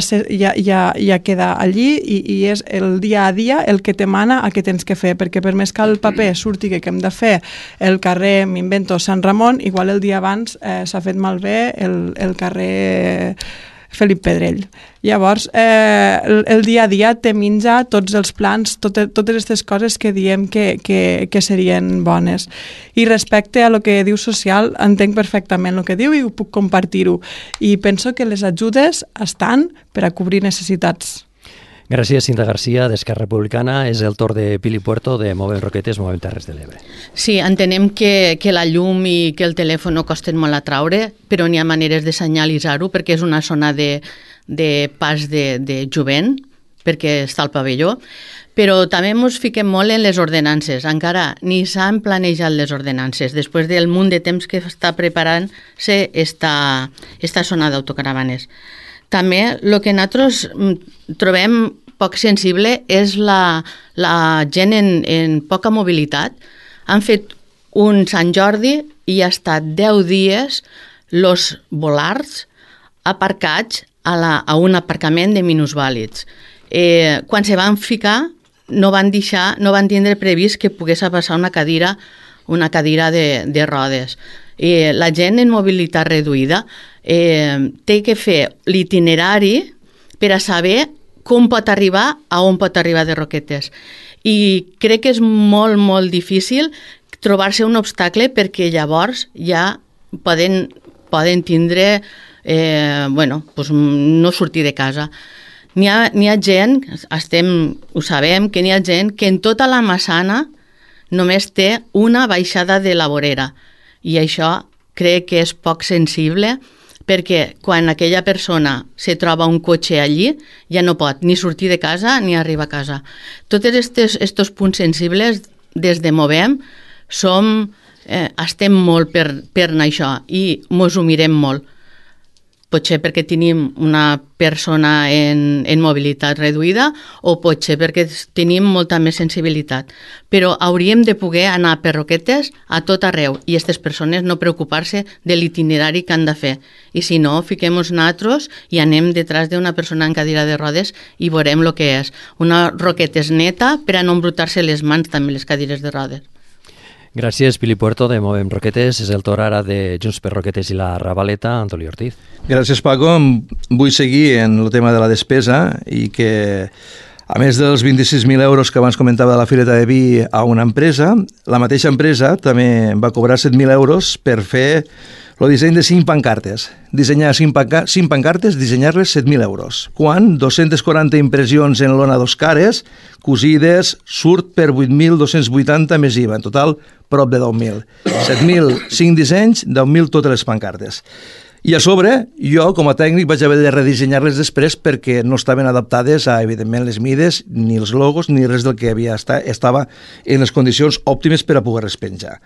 queda allí i és el dia a dia el que t'emana a què tens que fer, perquè per més que el paper surti que hem de fer el carrer, m'invento, Sant Ramon, igual el dia abans s'ha fet malbé el carrer Felip Pedrell. Llavors, el dia a dia te menja tots els plans, totes aquestes coses que diem que serien bones. I respecte a lo que diu social, entenc perfectament el que diu i ho puc compartir-ho. I penso que les ajudes estan per a cobrir necessitats. Gràcies, Cinta Garcia, d'Esquerra Republicana. És el torn de Pili Puerto, de Movem Roquetes, Movem Terres de l'Ebre. Sí, entenem que la llum i que el telèfon costen molt a traure, però n'hi ha maneres de senyalitzar-ho, perquè és una zona de pas de jovent, perquè està al pavelló, però també ens fiquem molt en les ordenances. Encara ni s'han planejat les ordenances, després del munt de temps que està preparant-se esta zona d'autocaravanes. També el que nosaltres trobem poc sensible és la gent en poca mobilitat. Han fet un Sant Jordi i ha estat 10 dies els volars aparcats a un aparcament de minusvàlids. Quan se van ficar no van tindre previst que pogués passar una cadira de rodes. La gent en mobilitat reduïda té que fer l'itinerari per a saber com pot arribar a on pot arribar de Roquetes. I crec que és molt, molt difícil trobar-se un obstacle perquè llavors ja poden tindre, no sortir de casa. N'hi ha gent, ho sabem, que n'hi ha gent que en tota la Massana només té una baixada de la vorera. I això crec que és poc sensible, perquè quan aquella persona se troba un cotxe allí ja no pot ni sortir de casa ni arribar a casa. Tots aquests punts sensibles des de Movem estem molt per això i mos ho mirem molt. Potser perquè tenim una persona en mobilitat reduïda o potser perquè tenim molta més sensibilitat. Però hauríem de poder anar per Roquetes a tot arreu i aquestes persones no preocupar-se de l'itinerari que han de fer. I si no, fiquem-nos nosaltres i anem detrás d'una persona en cadira de rodes i veurem el que és. Una Roquetes neta per a no embrutar-se les mans també les cadires de rodes. Gràcies, Pili Puerto, de Movem Roquetes. És el torn ara de Junts per Roquetes i la Ravaleta, Antoni Ortiz. Gràcies, Paco. Vull seguir en el tema de la despesa i que, a més dels 26.000 euros que abans comentava de la Fireta de Vi a una empresa, la mateixa empresa també va cobrar 7.000 euros per fer el disseny de 5 pancartes. Dissenyar 5 pancartes, dissenyar-les 7.000 euros. Quan 240 impressions en lona dos cares, cosides, surt per 8.280 més IVA. En total, prop de 10.000. 7.000, 5 dissenys, 10.000 totes les pancartes. I a sobre, jo, com a tècnic, vaig haver de redissenyar-les després perquè no estaven adaptades a, evidentment, les mides, ni els logos, ni res del que estava en les condicions òptimes per a poder-les penjar.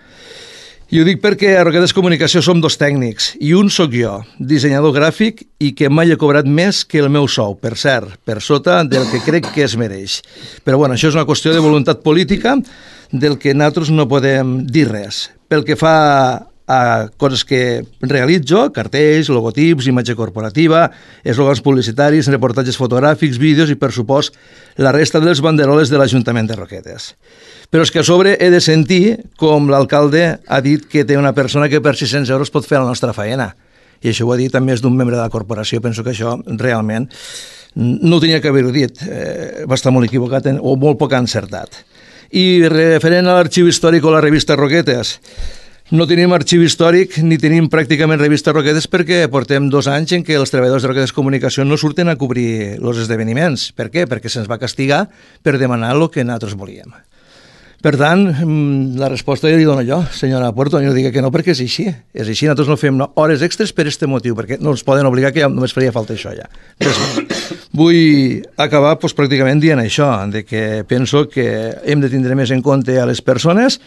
I ho dic perquè a Roquetes Comunicació som dos tècnics, i un sóc jo, dissenyador gràfic, i que mai he cobrat més que el meu sou, per cert, per sota del que crec que es mereix. Però bueno, això és una qüestió de voluntat política, del que nosaltres no podem dir res. Pel que fa a coses que realitzo, cartells, logotips, imatge corporativa, eslògans publicitaris, reportatges fotogràfics, vídeos i, per supost, la resta dels banderoles de l'Ajuntament de Roquetes. Però és que a sobre he de sentir com l'alcalde ha dit que té una persona que per 600 euros pot fer la nostra feina. I això ho ha dit a més d'un membre de la corporació. Penso que això realment no ho tenia que haver-ho dit. Va estar molt equivocat o molt poc encertat. I referent a l'arxiu històric o la revista Roquetes, no tenim arxiu històric ni tenim pràcticament revista Roquetes perquè portem 2 anys en què els treballadors de Roquetes Comunicació no surten a cobrir els esdeveniments. Per què? Perquè se'ns va castigar per demanar el que nosaltres volíem. Per tant, la resposta ja li dono jo, senyora Puerto, no digui que no perquè és així. És així, nosaltres no fem hores extres per aquest motiu, perquè no ens poden obligar que ja només faria falta això ja. Vull acabar pràcticament dient això, de que penso que hem de tindre més en compte a les persones.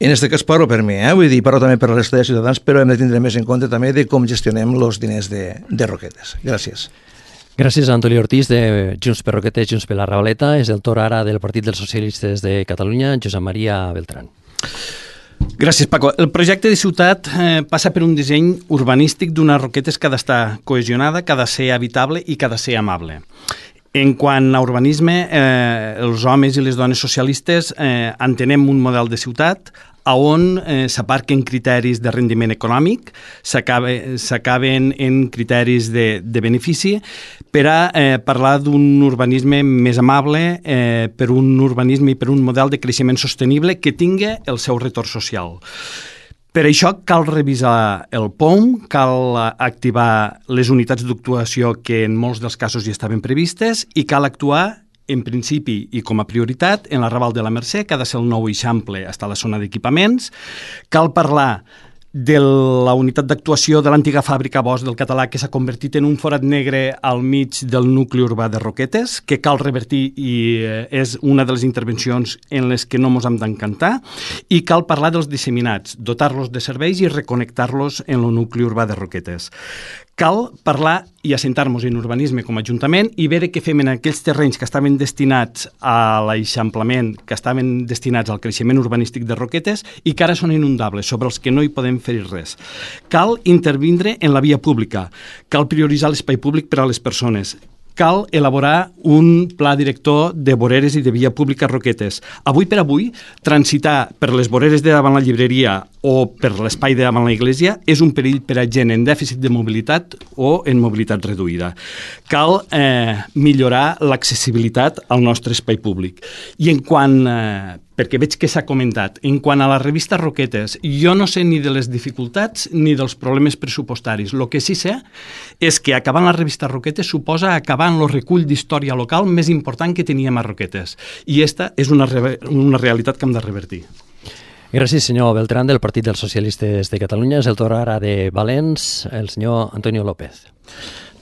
En aquest cas parlo per mi, vull dir, parlo també per la resta de ciutadans, però hem de tindre més en compte també de com gestionem els diners de Roquetes. Gràcies. Gràcies a Antoni Ortiz de Junts per Roquetes, Junts per la Ravaleta. És el torn ara del Partit dels Socialistes de Catalunya, Josep Maria Beltrán. Gràcies, Paco. El projecte de ciutat passa per un disseny urbanístic d'una Roquetes que ha d'estar cohesionada, que ha de ser habitable i que ha de ser amable. En quant a urbanisme, els homes i les dones socialistes entenem un model de ciutat on s'aparquen criteris de rendiment econòmic, s'acaben en criteris de benefici per a parlar d'un urbanisme més amable, per un urbanisme i per un model de creixement sostenible que tingui el seu retorn social. Per això cal revisar el POM, cal activar les unitats d'actuació que en molts dels casos ja estaven previstes i cal actuar en principi i com a prioritat en la Raval de la Mercè, que ha de ser el nou eixample fins a la zona d'equipaments. Cal parlar de la unitat d'actuació de l'antiga fàbrica Bosch del Català que s'ha convertit en un forat negre al mig del nucli urbà de Roquetes, que cal revertir i és una de les intervencions en les que no ens hem d'encantar, i cal parlar dels disseminats, dotar-los de serveis i reconnectar-los en el nucli urbà de Roquetes. Cal parlar i assentar-nos en urbanisme com a Ajuntament i veure què fem en aquells terrenys que estaven destinats a l'eixamplament, que estaven destinats al creixement urbanístic de Roquetes i que ara són inundables, sobre els que no hi podem fer res. Cal intervindre en la via pública, cal prioritzar l'espai públic per a les persones, cal elaborar un pla director de voreres i de via pública a Roquetes. Avui per avui, transitar per les voreres de davant la llibreria o per l'espai de davant la iglesia és un perill per a gent en dèficit de mobilitat o en mobilitat reduïda. Cal millorar l'accessibilitat al nostre espai públic. I en quant, perquè veig que s'ha comentat, en quant a la revista Roquetes, jo no sé ni de les dificultats ni dels problemes pressupostaris. El que sí sé és que acabant la revista Roquetes suposa acabar en el recull d'història local més important que teníem a Roquetes. I aquesta és una realitat que hem de revertir. Gràcies, senyor Beltrán, del Partit dels Socialistes de Catalunya. És el torn ara de Valens, el senyor Antonio López.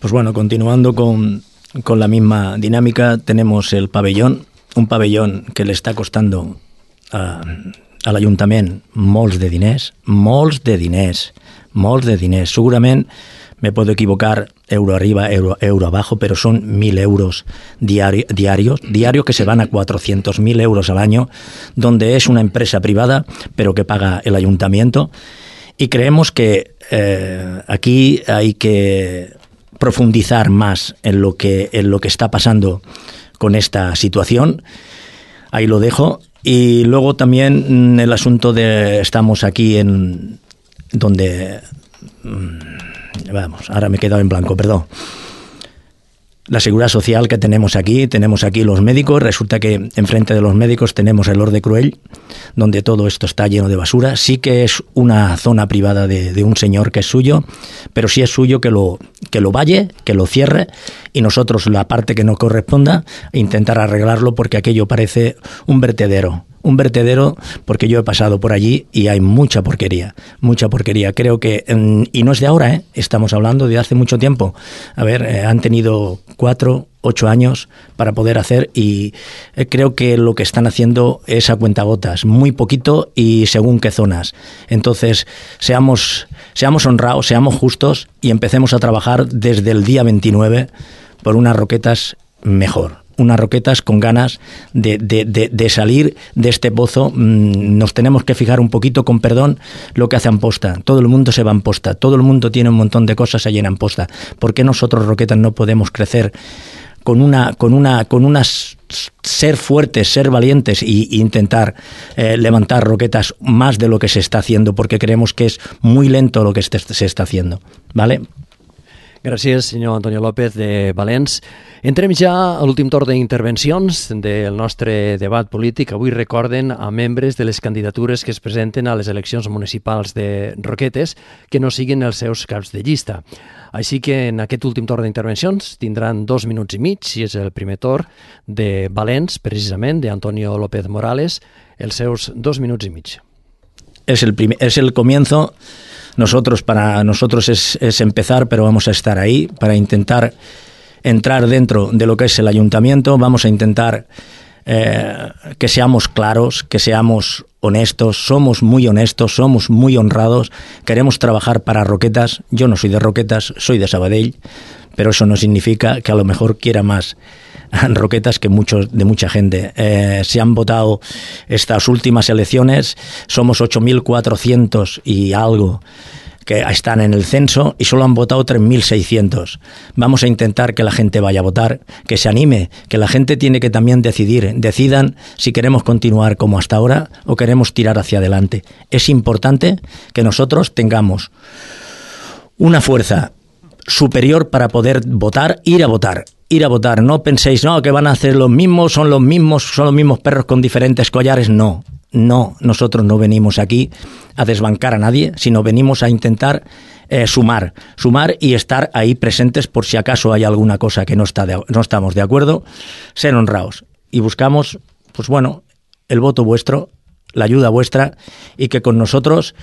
Pues bueno, continuando con la misma dinámica, tenemos el pabellón, un pabellón que le está costando a l'Ajuntament molts de diners. Segurament me puedo equivocar, euro arriba, euro abajo, pero son 1.000 euros diarios que se van a 400.000 euros al año, donde es una empresa privada, pero que paga el ayuntamiento. Y creemos que aquí hay que profundizar más en lo que está pasando con esta situación. Ahí lo dejo. Y luego también el asunto de estamos aquí en donde vamos, ahora me he quedado en blanco, perdón. La seguridad social que tenemos aquí los médicos, resulta que enfrente de los médicos tenemos el Orde Cruel, donde todo esto está lleno de basura. Sí que es una zona privada de un señor que es suyo, pero sí es suyo que lo valle, que lo cierre, y nosotros la parte que no corresponda intentar arreglarlo, porque aquello parece un vertedero. Un vertedero, porque yo he pasado por allí y hay mucha porquería. Creo que, y no es de ahora, estamos hablando de hace mucho tiempo. A ver, han tenido 4, 8 años para poder hacer, y creo que lo que están haciendo es a cuentagotas, muy poquito y según qué zonas. Entonces, seamos honrados, seamos justos y empecemos a trabajar desde el día 29 por unas Roquetas mejor. Unas Roquetas con ganas de salir de este pozo. Nos tenemos que fijar un poquito, con perdón, lo que hace Amposta. Todo el mundo se va a Amposta, todo el mundo tiene un montón de cosas allí en Amposta. ¿Por qué nosotros, Roquetas, no podemos crecer con unas ser fuertes, ser valientes e intentar levantar Roquetas más de lo que se está haciendo, porque creemos que es muy lento lo que se está haciendo, ¿vale? Gràcies, senyor Antonio López de Valens. Entrem ja a l'últim torn d'intervencions del nostre debat polític. Avui recorden a membres de les candidatures que es presenten a les eleccions municipals de Roquetes que no siguin els seus caps de llista. Així que en aquest últim torn d'intervencions tindran 2 minuts i mig, si és el primer torn de Valens, precisament, d'Antonio López Morales, els seus 2 minuts i mig. Es el comienzo. Para nosotros es empezar, pero vamos a estar ahí para intentar entrar dentro de lo que es el ayuntamiento. Vamos a intentar que seamos claros, que seamos honestos. Somos muy honestos, somos muy honrados. Queremos trabajar para Roquetas. Yo no soy de Roquetas, soy de Sabadell, pero eso no significa que a lo mejor quiera más Roquetas que mucha gente. Se han votado estas últimas elecciones, somos 8.400 y algo que están en el censo y solo han votado 3.600. Vamos a intentar que la gente vaya a votar, que se anime, que la gente tiene que también decidan si queremos continuar como hasta ahora o queremos tirar hacia adelante. Es importante que nosotros tengamos una fuerza superior para poder votar, ir a votar. No penséis, no, que van a hacer los mismos, son los mismos perros con diferentes collares. No, nosotros no venimos aquí a desbancar a nadie, sino venimos a intentar sumar y estar ahí presentes por si acaso hay alguna cosa que no estamos de acuerdo, ser honrados. Y buscamos, pues bueno, el voto vuestro, la ayuda vuestra, y que con nosotros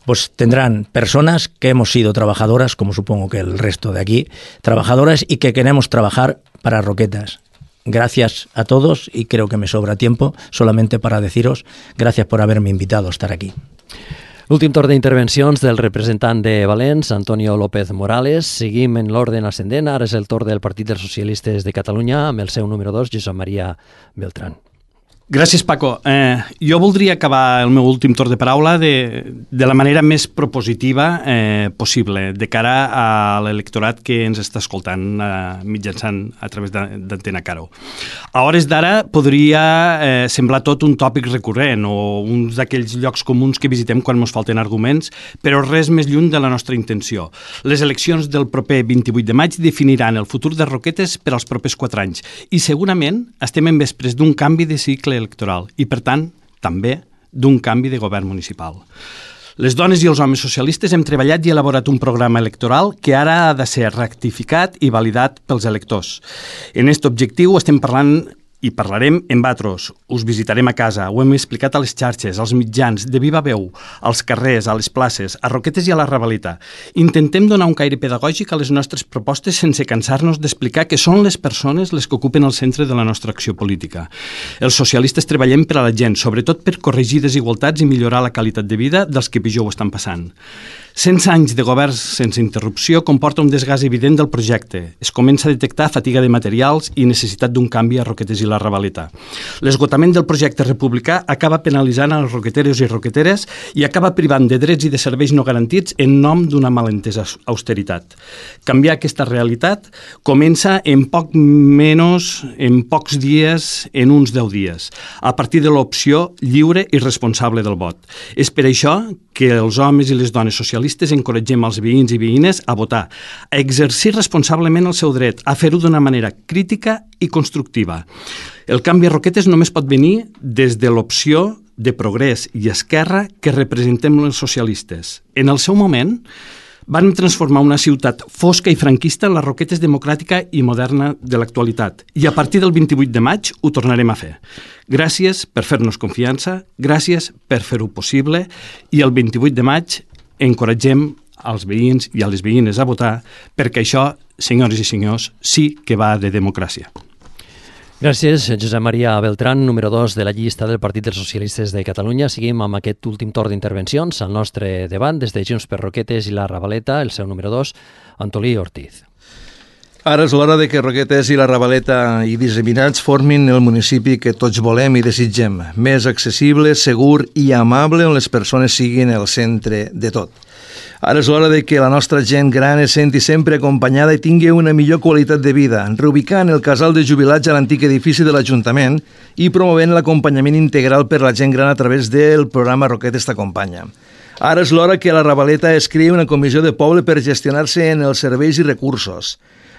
pues tendrán personas que hemos sido trabajadoras, como supongo que el resto de aquí, trabajadoras, y que queremos trabajar para Roquetas. Gracias a todos, y creo que me sobra tiempo solamente para deciros gracias por haberme invitado a estar aquí. L'últim torn d'intervencions del representant de Valens, Antonio López Morales. Seguim en l'ordre ascendent. Ara és el torn del Partit dels Socialistes de Catalunya amb el seu número 2, Josep Maria Beltrán. Gràcies, Paco. Jo voldria acabar el meu últim torn de paraula de la manera més propositiva possible de cara a l'electorat que ens està escoltant mitjançant a través d'Antena Caro. A hores d'ara podria semblar tot un tòpic recurrent o uns d'aquells llocs comuns que visitem quan ens falten arguments, però res més lluny de la nostra intenció. Les eleccions del proper 28 de maig definiran el futur de Roquetes per als propers 4 anys i segurament estem en vespres d'un canvi de cicle electoral i, per tant, també d'un canvi de govern municipal. Les dones i els homes socialistes hem treballat i elaborat un programa electoral que ara ha de ser rectificat i validat pels electors. En aquest objectiu estem parlant i parlarem en Batros, us visitarem a casa, ho hem explicat a les xarxes, als mitjans, de viva veu, als carrers, a les places, a Roquetes i a la Ravalita. Intentem donar un caire pedagògic a les nostres propostes sense cansar-nos d'explicar que són les persones les que ocupen el centre de la nostra acció política. Els socialistes treballem per a la gent, sobretot per corregir desigualtats i millorar la qualitat de vida dels que pitjor ho estan passant. 100 anys de governs sense interrupció comporta un desgast evident del projecte. Es comença a detectar fatiga de materials i necessitat d'un canvi a Roquetes i la Ravaleta. L'esgotament del projecte republicà acaba penalitzant els roqueteros i roqueteres i acaba privant de drets i de serveis no garantits en nom d'una malentesa austeritat. Canviar aquesta realitat comença en pocs dies, en uns 10 dies, a partir de l'opció lliure i responsable del vot. És per això que els homes i les dones socialistes encoratgem els veïns i veïnes a votar, a exercir responsablement el seu dret, a fer-ho d'una manera crítica i constructiva. El canvi a Roquetes només pot venir des de l'opció de progrés i esquerra que representem els socialistes. En el seu moment, van transformar una ciutat fosca i franquista en la Roquetes democràtica i moderna de l'actualitat. I a partir del 28 de maig ho tornarem a fer. Gràcies per fer-nos confiança, gràcies per fer-ho possible i el 28 de maig encoratgem als veïns i a les veïnes a votar perquè això, senyores i senyors, sí que va de democràcia. Gràcies, Josep Maria Beltrán, número 2 de la llista del Partit dels Socialistes de Catalunya. Seguim amb aquest últim torn d'intervencions al nostre debat des de Junts per Roquetes i la Ravaleta, el seu número 2, Antolí Ortiz. Ara és l'hora de que Roquetes i la Ravaleta i disseminats formin el municipi que tots volem i desitgem, més accessible, segur i amable, on les persones siguin el centre de tot. Ara és l'hora de que la nostra gent gran es senti sempre acompanyada i tingui una millor qualitat de vida, reubicant el casal de jubilats a l'antic edifici de l'Ajuntament i promovent l'acompanyament integral per la gent gran a través del programa Roquetes t'acompanya. Ara és l'hora que a la Ravaleta es creï una comissió de poble per gestionar-se en els serveis i recursos.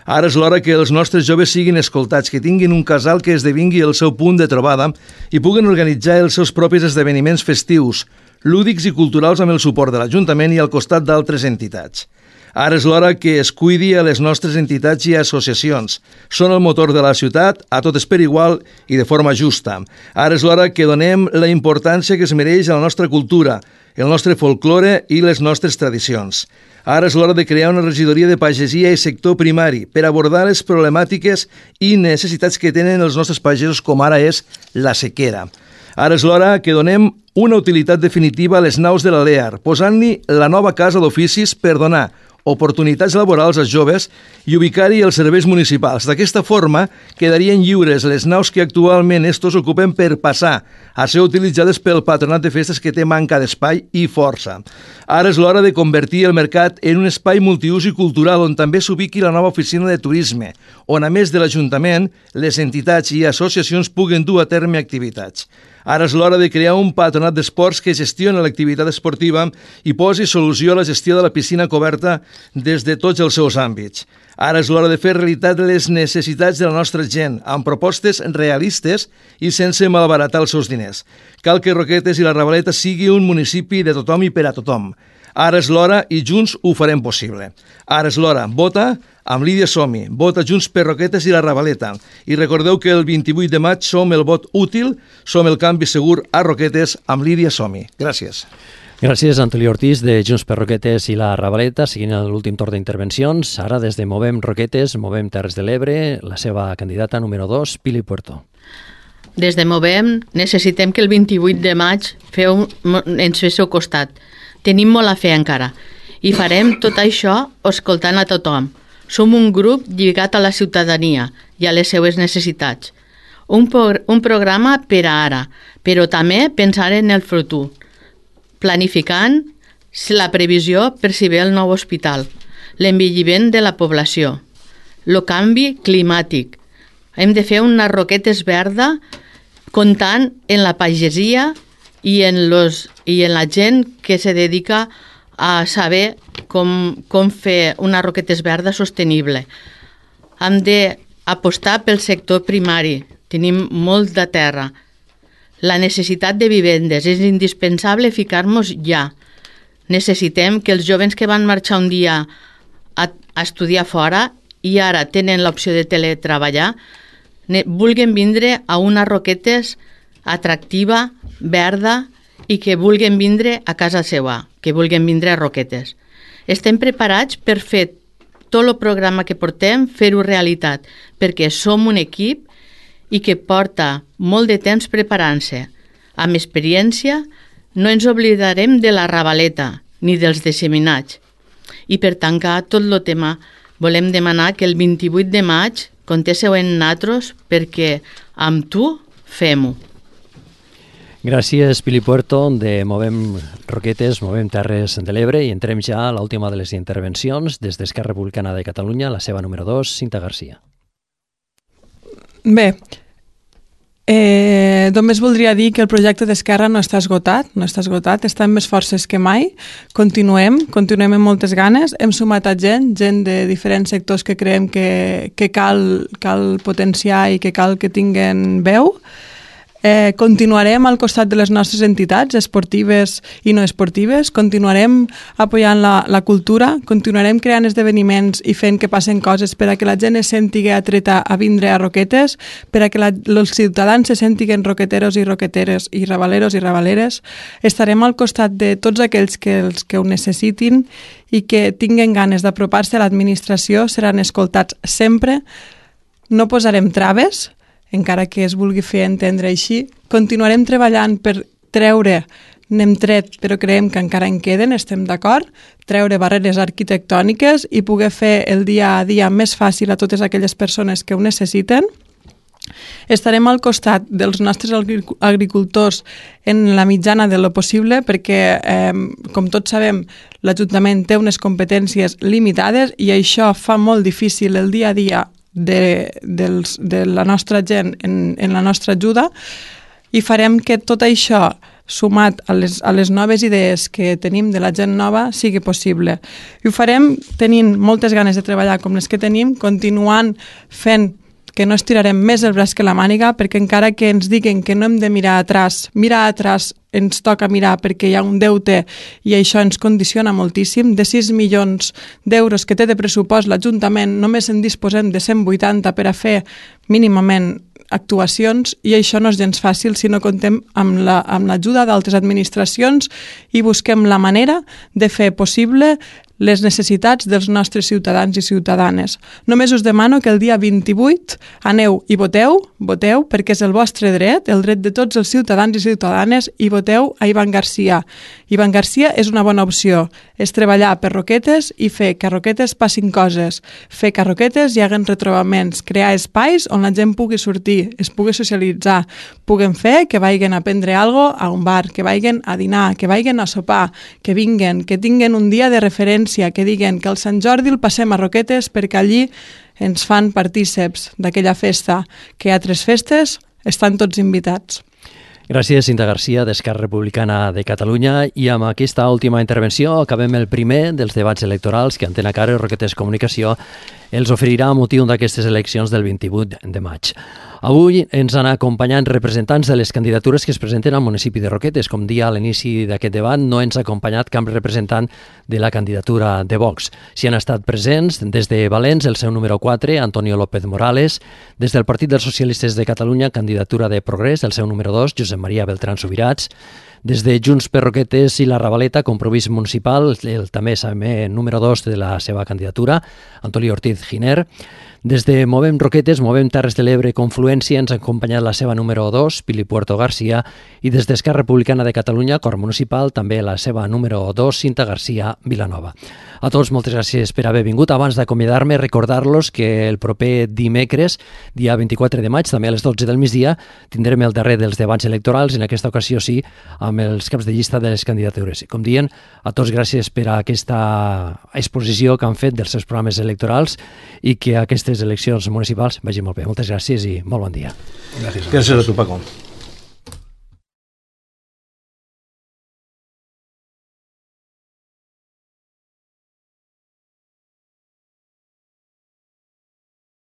Ara és l'hora que els nostres joves siguin escoltats, que tinguin un casal que esdevingui el seu punt de trobada i puguen organitzar els seus propis esdeveniments festius, lúdics i culturals amb el suport de l'Ajuntament i al costat d'altres entitats. Ara és l'hora que es cuidi a les nostres entitats i associacions. Són el motor de la ciutat, a totes per igual i de forma justa. Ara és l'hora que donem la importància que es mereix a la nostra cultura, el nostre folklore i les nostres tradicions. Ara és l'hora de crear una regidoria de pagesia i sector primari per abordar les problemàtiques i necessitats que tenen els nostres pagesos, com ara és la sequera. Ara és l'hora que donem una utilitat definitiva a les naus de la LEAR, posant-hi la nova casa d'oficis per donar oportunitats laborals als joves i ubicar-hi els serveis municipals. D'aquesta forma, quedarien lliures les naus que actualment estos ocupen per passar a ser utilitzades pel patronat de festes que té manca d'espai i força. Ara és l'hora de convertir el mercat en un espai multiús i cultural on també s'ubiqui la nova oficina de turisme, on a més de l'Ajuntament, les entitats i associacions puguen dur a terme activitats. Ara és l'hora de crear un patronat d'esports que gestioni l'activitat esportiva i posi solució a la gestió de la piscina coberta des de tots els seus àmbits. Ara és l'hora de fer realitat les necessitats de la nostra gent, amb propostes realistes i sense malbaratar els seus diners. Cal que Roquetes i la Ravaleta sigui un municipi de tothom i per a tothom. Ara és l'hora i junts ho farem possible. Ara és l'hora. Vota amb Lídia Somi. Vota Junts per Roquetes i la Ravaleta. I recordeu que el 28 de maig som el vot útil, som el canvi segur a Roquetes amb Lídia Somi. Gràcies. Gràcies, Antolí Ortiz, de Junts per Roquetes i la Ravaleta. Seguint l'últim torn d'intervencions, ara des de Movem Roquetes, Movem Terres de l'Ebre, la seva candidata número 2, Pili Puerto. Des de Movem necessitem que el 28 de maig ens féssiu costat. Tenim molt a fer encara i farem tot això escoltant a tothom. Som un grup lligat a la ciutadania i a les seues necessitats. Un programa per a ara, però també pensar en el futur, planificant la previsió per si ve el nou hospital, l'envelliment de la població, el canvi climàtic. Hem de fer una Roquetes verda comptant en la pagesia i en la gent que se dedica a saber com fer una Roquetes verda sostenible. Hem d'apostar pel sector primari. Tenim molt de terra. La necessitat de vivendes. És indispensable ficar-nos ja. Necessitem que els jovens que van marxar un dia a estudiar fora i ara tenen l'opció de teletreballar vulguin vindre a una Roquetes atractiva, verda i que vulguin vindre a casa seva, que vulguin vindre a Roquetes. Estem preparats per fer tot el programa que portem, fer-ho realitat, perquè som un equip i que porta molt de temps preparant-se. Amb experiència, no ens oblidarem de la Ravaleta, ni dels disseminats. I per tancar tot el tema, volem demanar que el 28 de maig contesseu en natros perquè amb tu fem-ho. Gràcies, Pili Puerto, de Movem Roquetes, Movem Terres de l'Ebre, i entrem ja a l'última de les intervencions des d'Esquerra Republicana de Catalunya, la seva número 2, Cinta Garcia. Bé, només voldria dir que el projecte d'Esquerra no està esgotat, està amb més forces que mai. Continuem amb moltes ganes, hem sumat a gent de diferents sectors que creiem que cal potenciar i que cal que tinguen veu. Continuarem al costat de les nostres entitats esportives i no esportives, continuarem apoyant la cultura, continuarem creant esdeveniments i fent que passen coses per a que la gent es sentigui atreta a vindre a Roquetes, per a que els ciutadans se sentiguen roqueteros i roqueteres i rabaleros i rabaleres. Estarem al costat de tots aquells que ho necessitin i que tinguen ganes d'apropar-se a l'administració, seran escoltats sempre. No posarem traves, encara que es vulgui fer entendre així. Continuarem treballant per treure, n'hem tret, però creiem que encara en queden, estem d'acord, treure barreres arquitectòniques i poder fer el dia a dia més fàcil a totes aquelles persones que ho necessiten. Estarem al costat dels nostres agricultors en la mitjana de lo possible perquè, com tots sabem, l'Ajuntament té unes competències limitades i això fa molt difícil el dia a dia de la nostra gent en la nostra ajuda, i farem que tot això, sumat a les noves idees que tenim de la gent nova, sigui possible. I ho farem tenint moltes ganes de treballar com les que tenim, continuant fent que no estirarem més el braç que la màniga, perquè encara que ens diguen que no hem de mirar atràs ens toca mirar perquè hi ha un deute i això ens condiciona moltíssim. De 6 milions d'euros que té de pressupost l'Ajuntament, només en disposem de 180 per a fer mínimament actuacions, i això no és gens fàcil si no contem amb l'ajuda d'altres administracions i busquem la manera de fer possible les necessitats dels nostres ciutadans i ciutadanes. Només us demano que el dia 28 aneu i voteu perquè és el vostre dret, el dret de tots els ciutadans i ciutadanes, i voteu a Ivan Garcia. Ivan Garcia és una bona opció, és treballar per Roquetes i fer que a Roquetes passin coses, fer que a Roquetes hi hagin retrobaments, crear espais on la gent pugui sortir, es pugui socialitzar, puguen fer que vagin a prendre alguna cosa a un bar, que vagin a dinar, que vagin a sopar, que vinguen, que tinguen un dia de referència, que diguen que el Sant Jordi el passem a Roquetes perquè allí ens fan partíceps d'aquella festa, que a altres festes estan tots invitats. Gràcies, Cinta Garcia, d'Esquerra Republicana de Catalunya. I amb aquesta última intervenció acabem el primer dels debats electorals que Antena Caro i Roquetes Comunicació els oferirà a motiu d'aquestes eleccions del 28 de maig. Avui ens han acompanyat representants de les candidatures que es presenten al municipi de Roquetes. Com dia a l'inici d'aquest debat, no ens ha acompanyat cap representant de la candidatura de Vox. S'hi han estat presents des de Valens, el seu número 4, Antonio López Morales, des del Partit dels Socialistes de Catalunya, candidatura de Progrés, el seu número 2, Josep Maria Beltrán Subirats, des de Junts per Roquetes i la Ravaleta, Compromís Municipal, el també número 2 de la seva candidatura, Antoni Ortiz Giner. Des de Movem Roquetes, Movem Terres de l'Ebre, Confluència, ens ha acompanyat la seva número 2, Pili Puerto Garcia, i des d'Esquerra Republicana de Catalunya, Cor Municipal, també la seva número 2, Cinta Garcia Vilanova. A tots, moltes gràcies per haver vingut. Abans d'acomiadar-me, recordar-los que el proper dimecres, dia 24 de maig, també a les 12 del migdia, tindrem el darrer dels debats electorals, en aquesta ocasió sí, amb els caps de llista de les candidatures. Com dient, a tots gràcies per a aquesta exposició que han fet dels seus programes electorals i que aquestes eleccions municipals vagin molt bé. Moltes gràcies i molt bon dia. Gràcies a tu, Paco.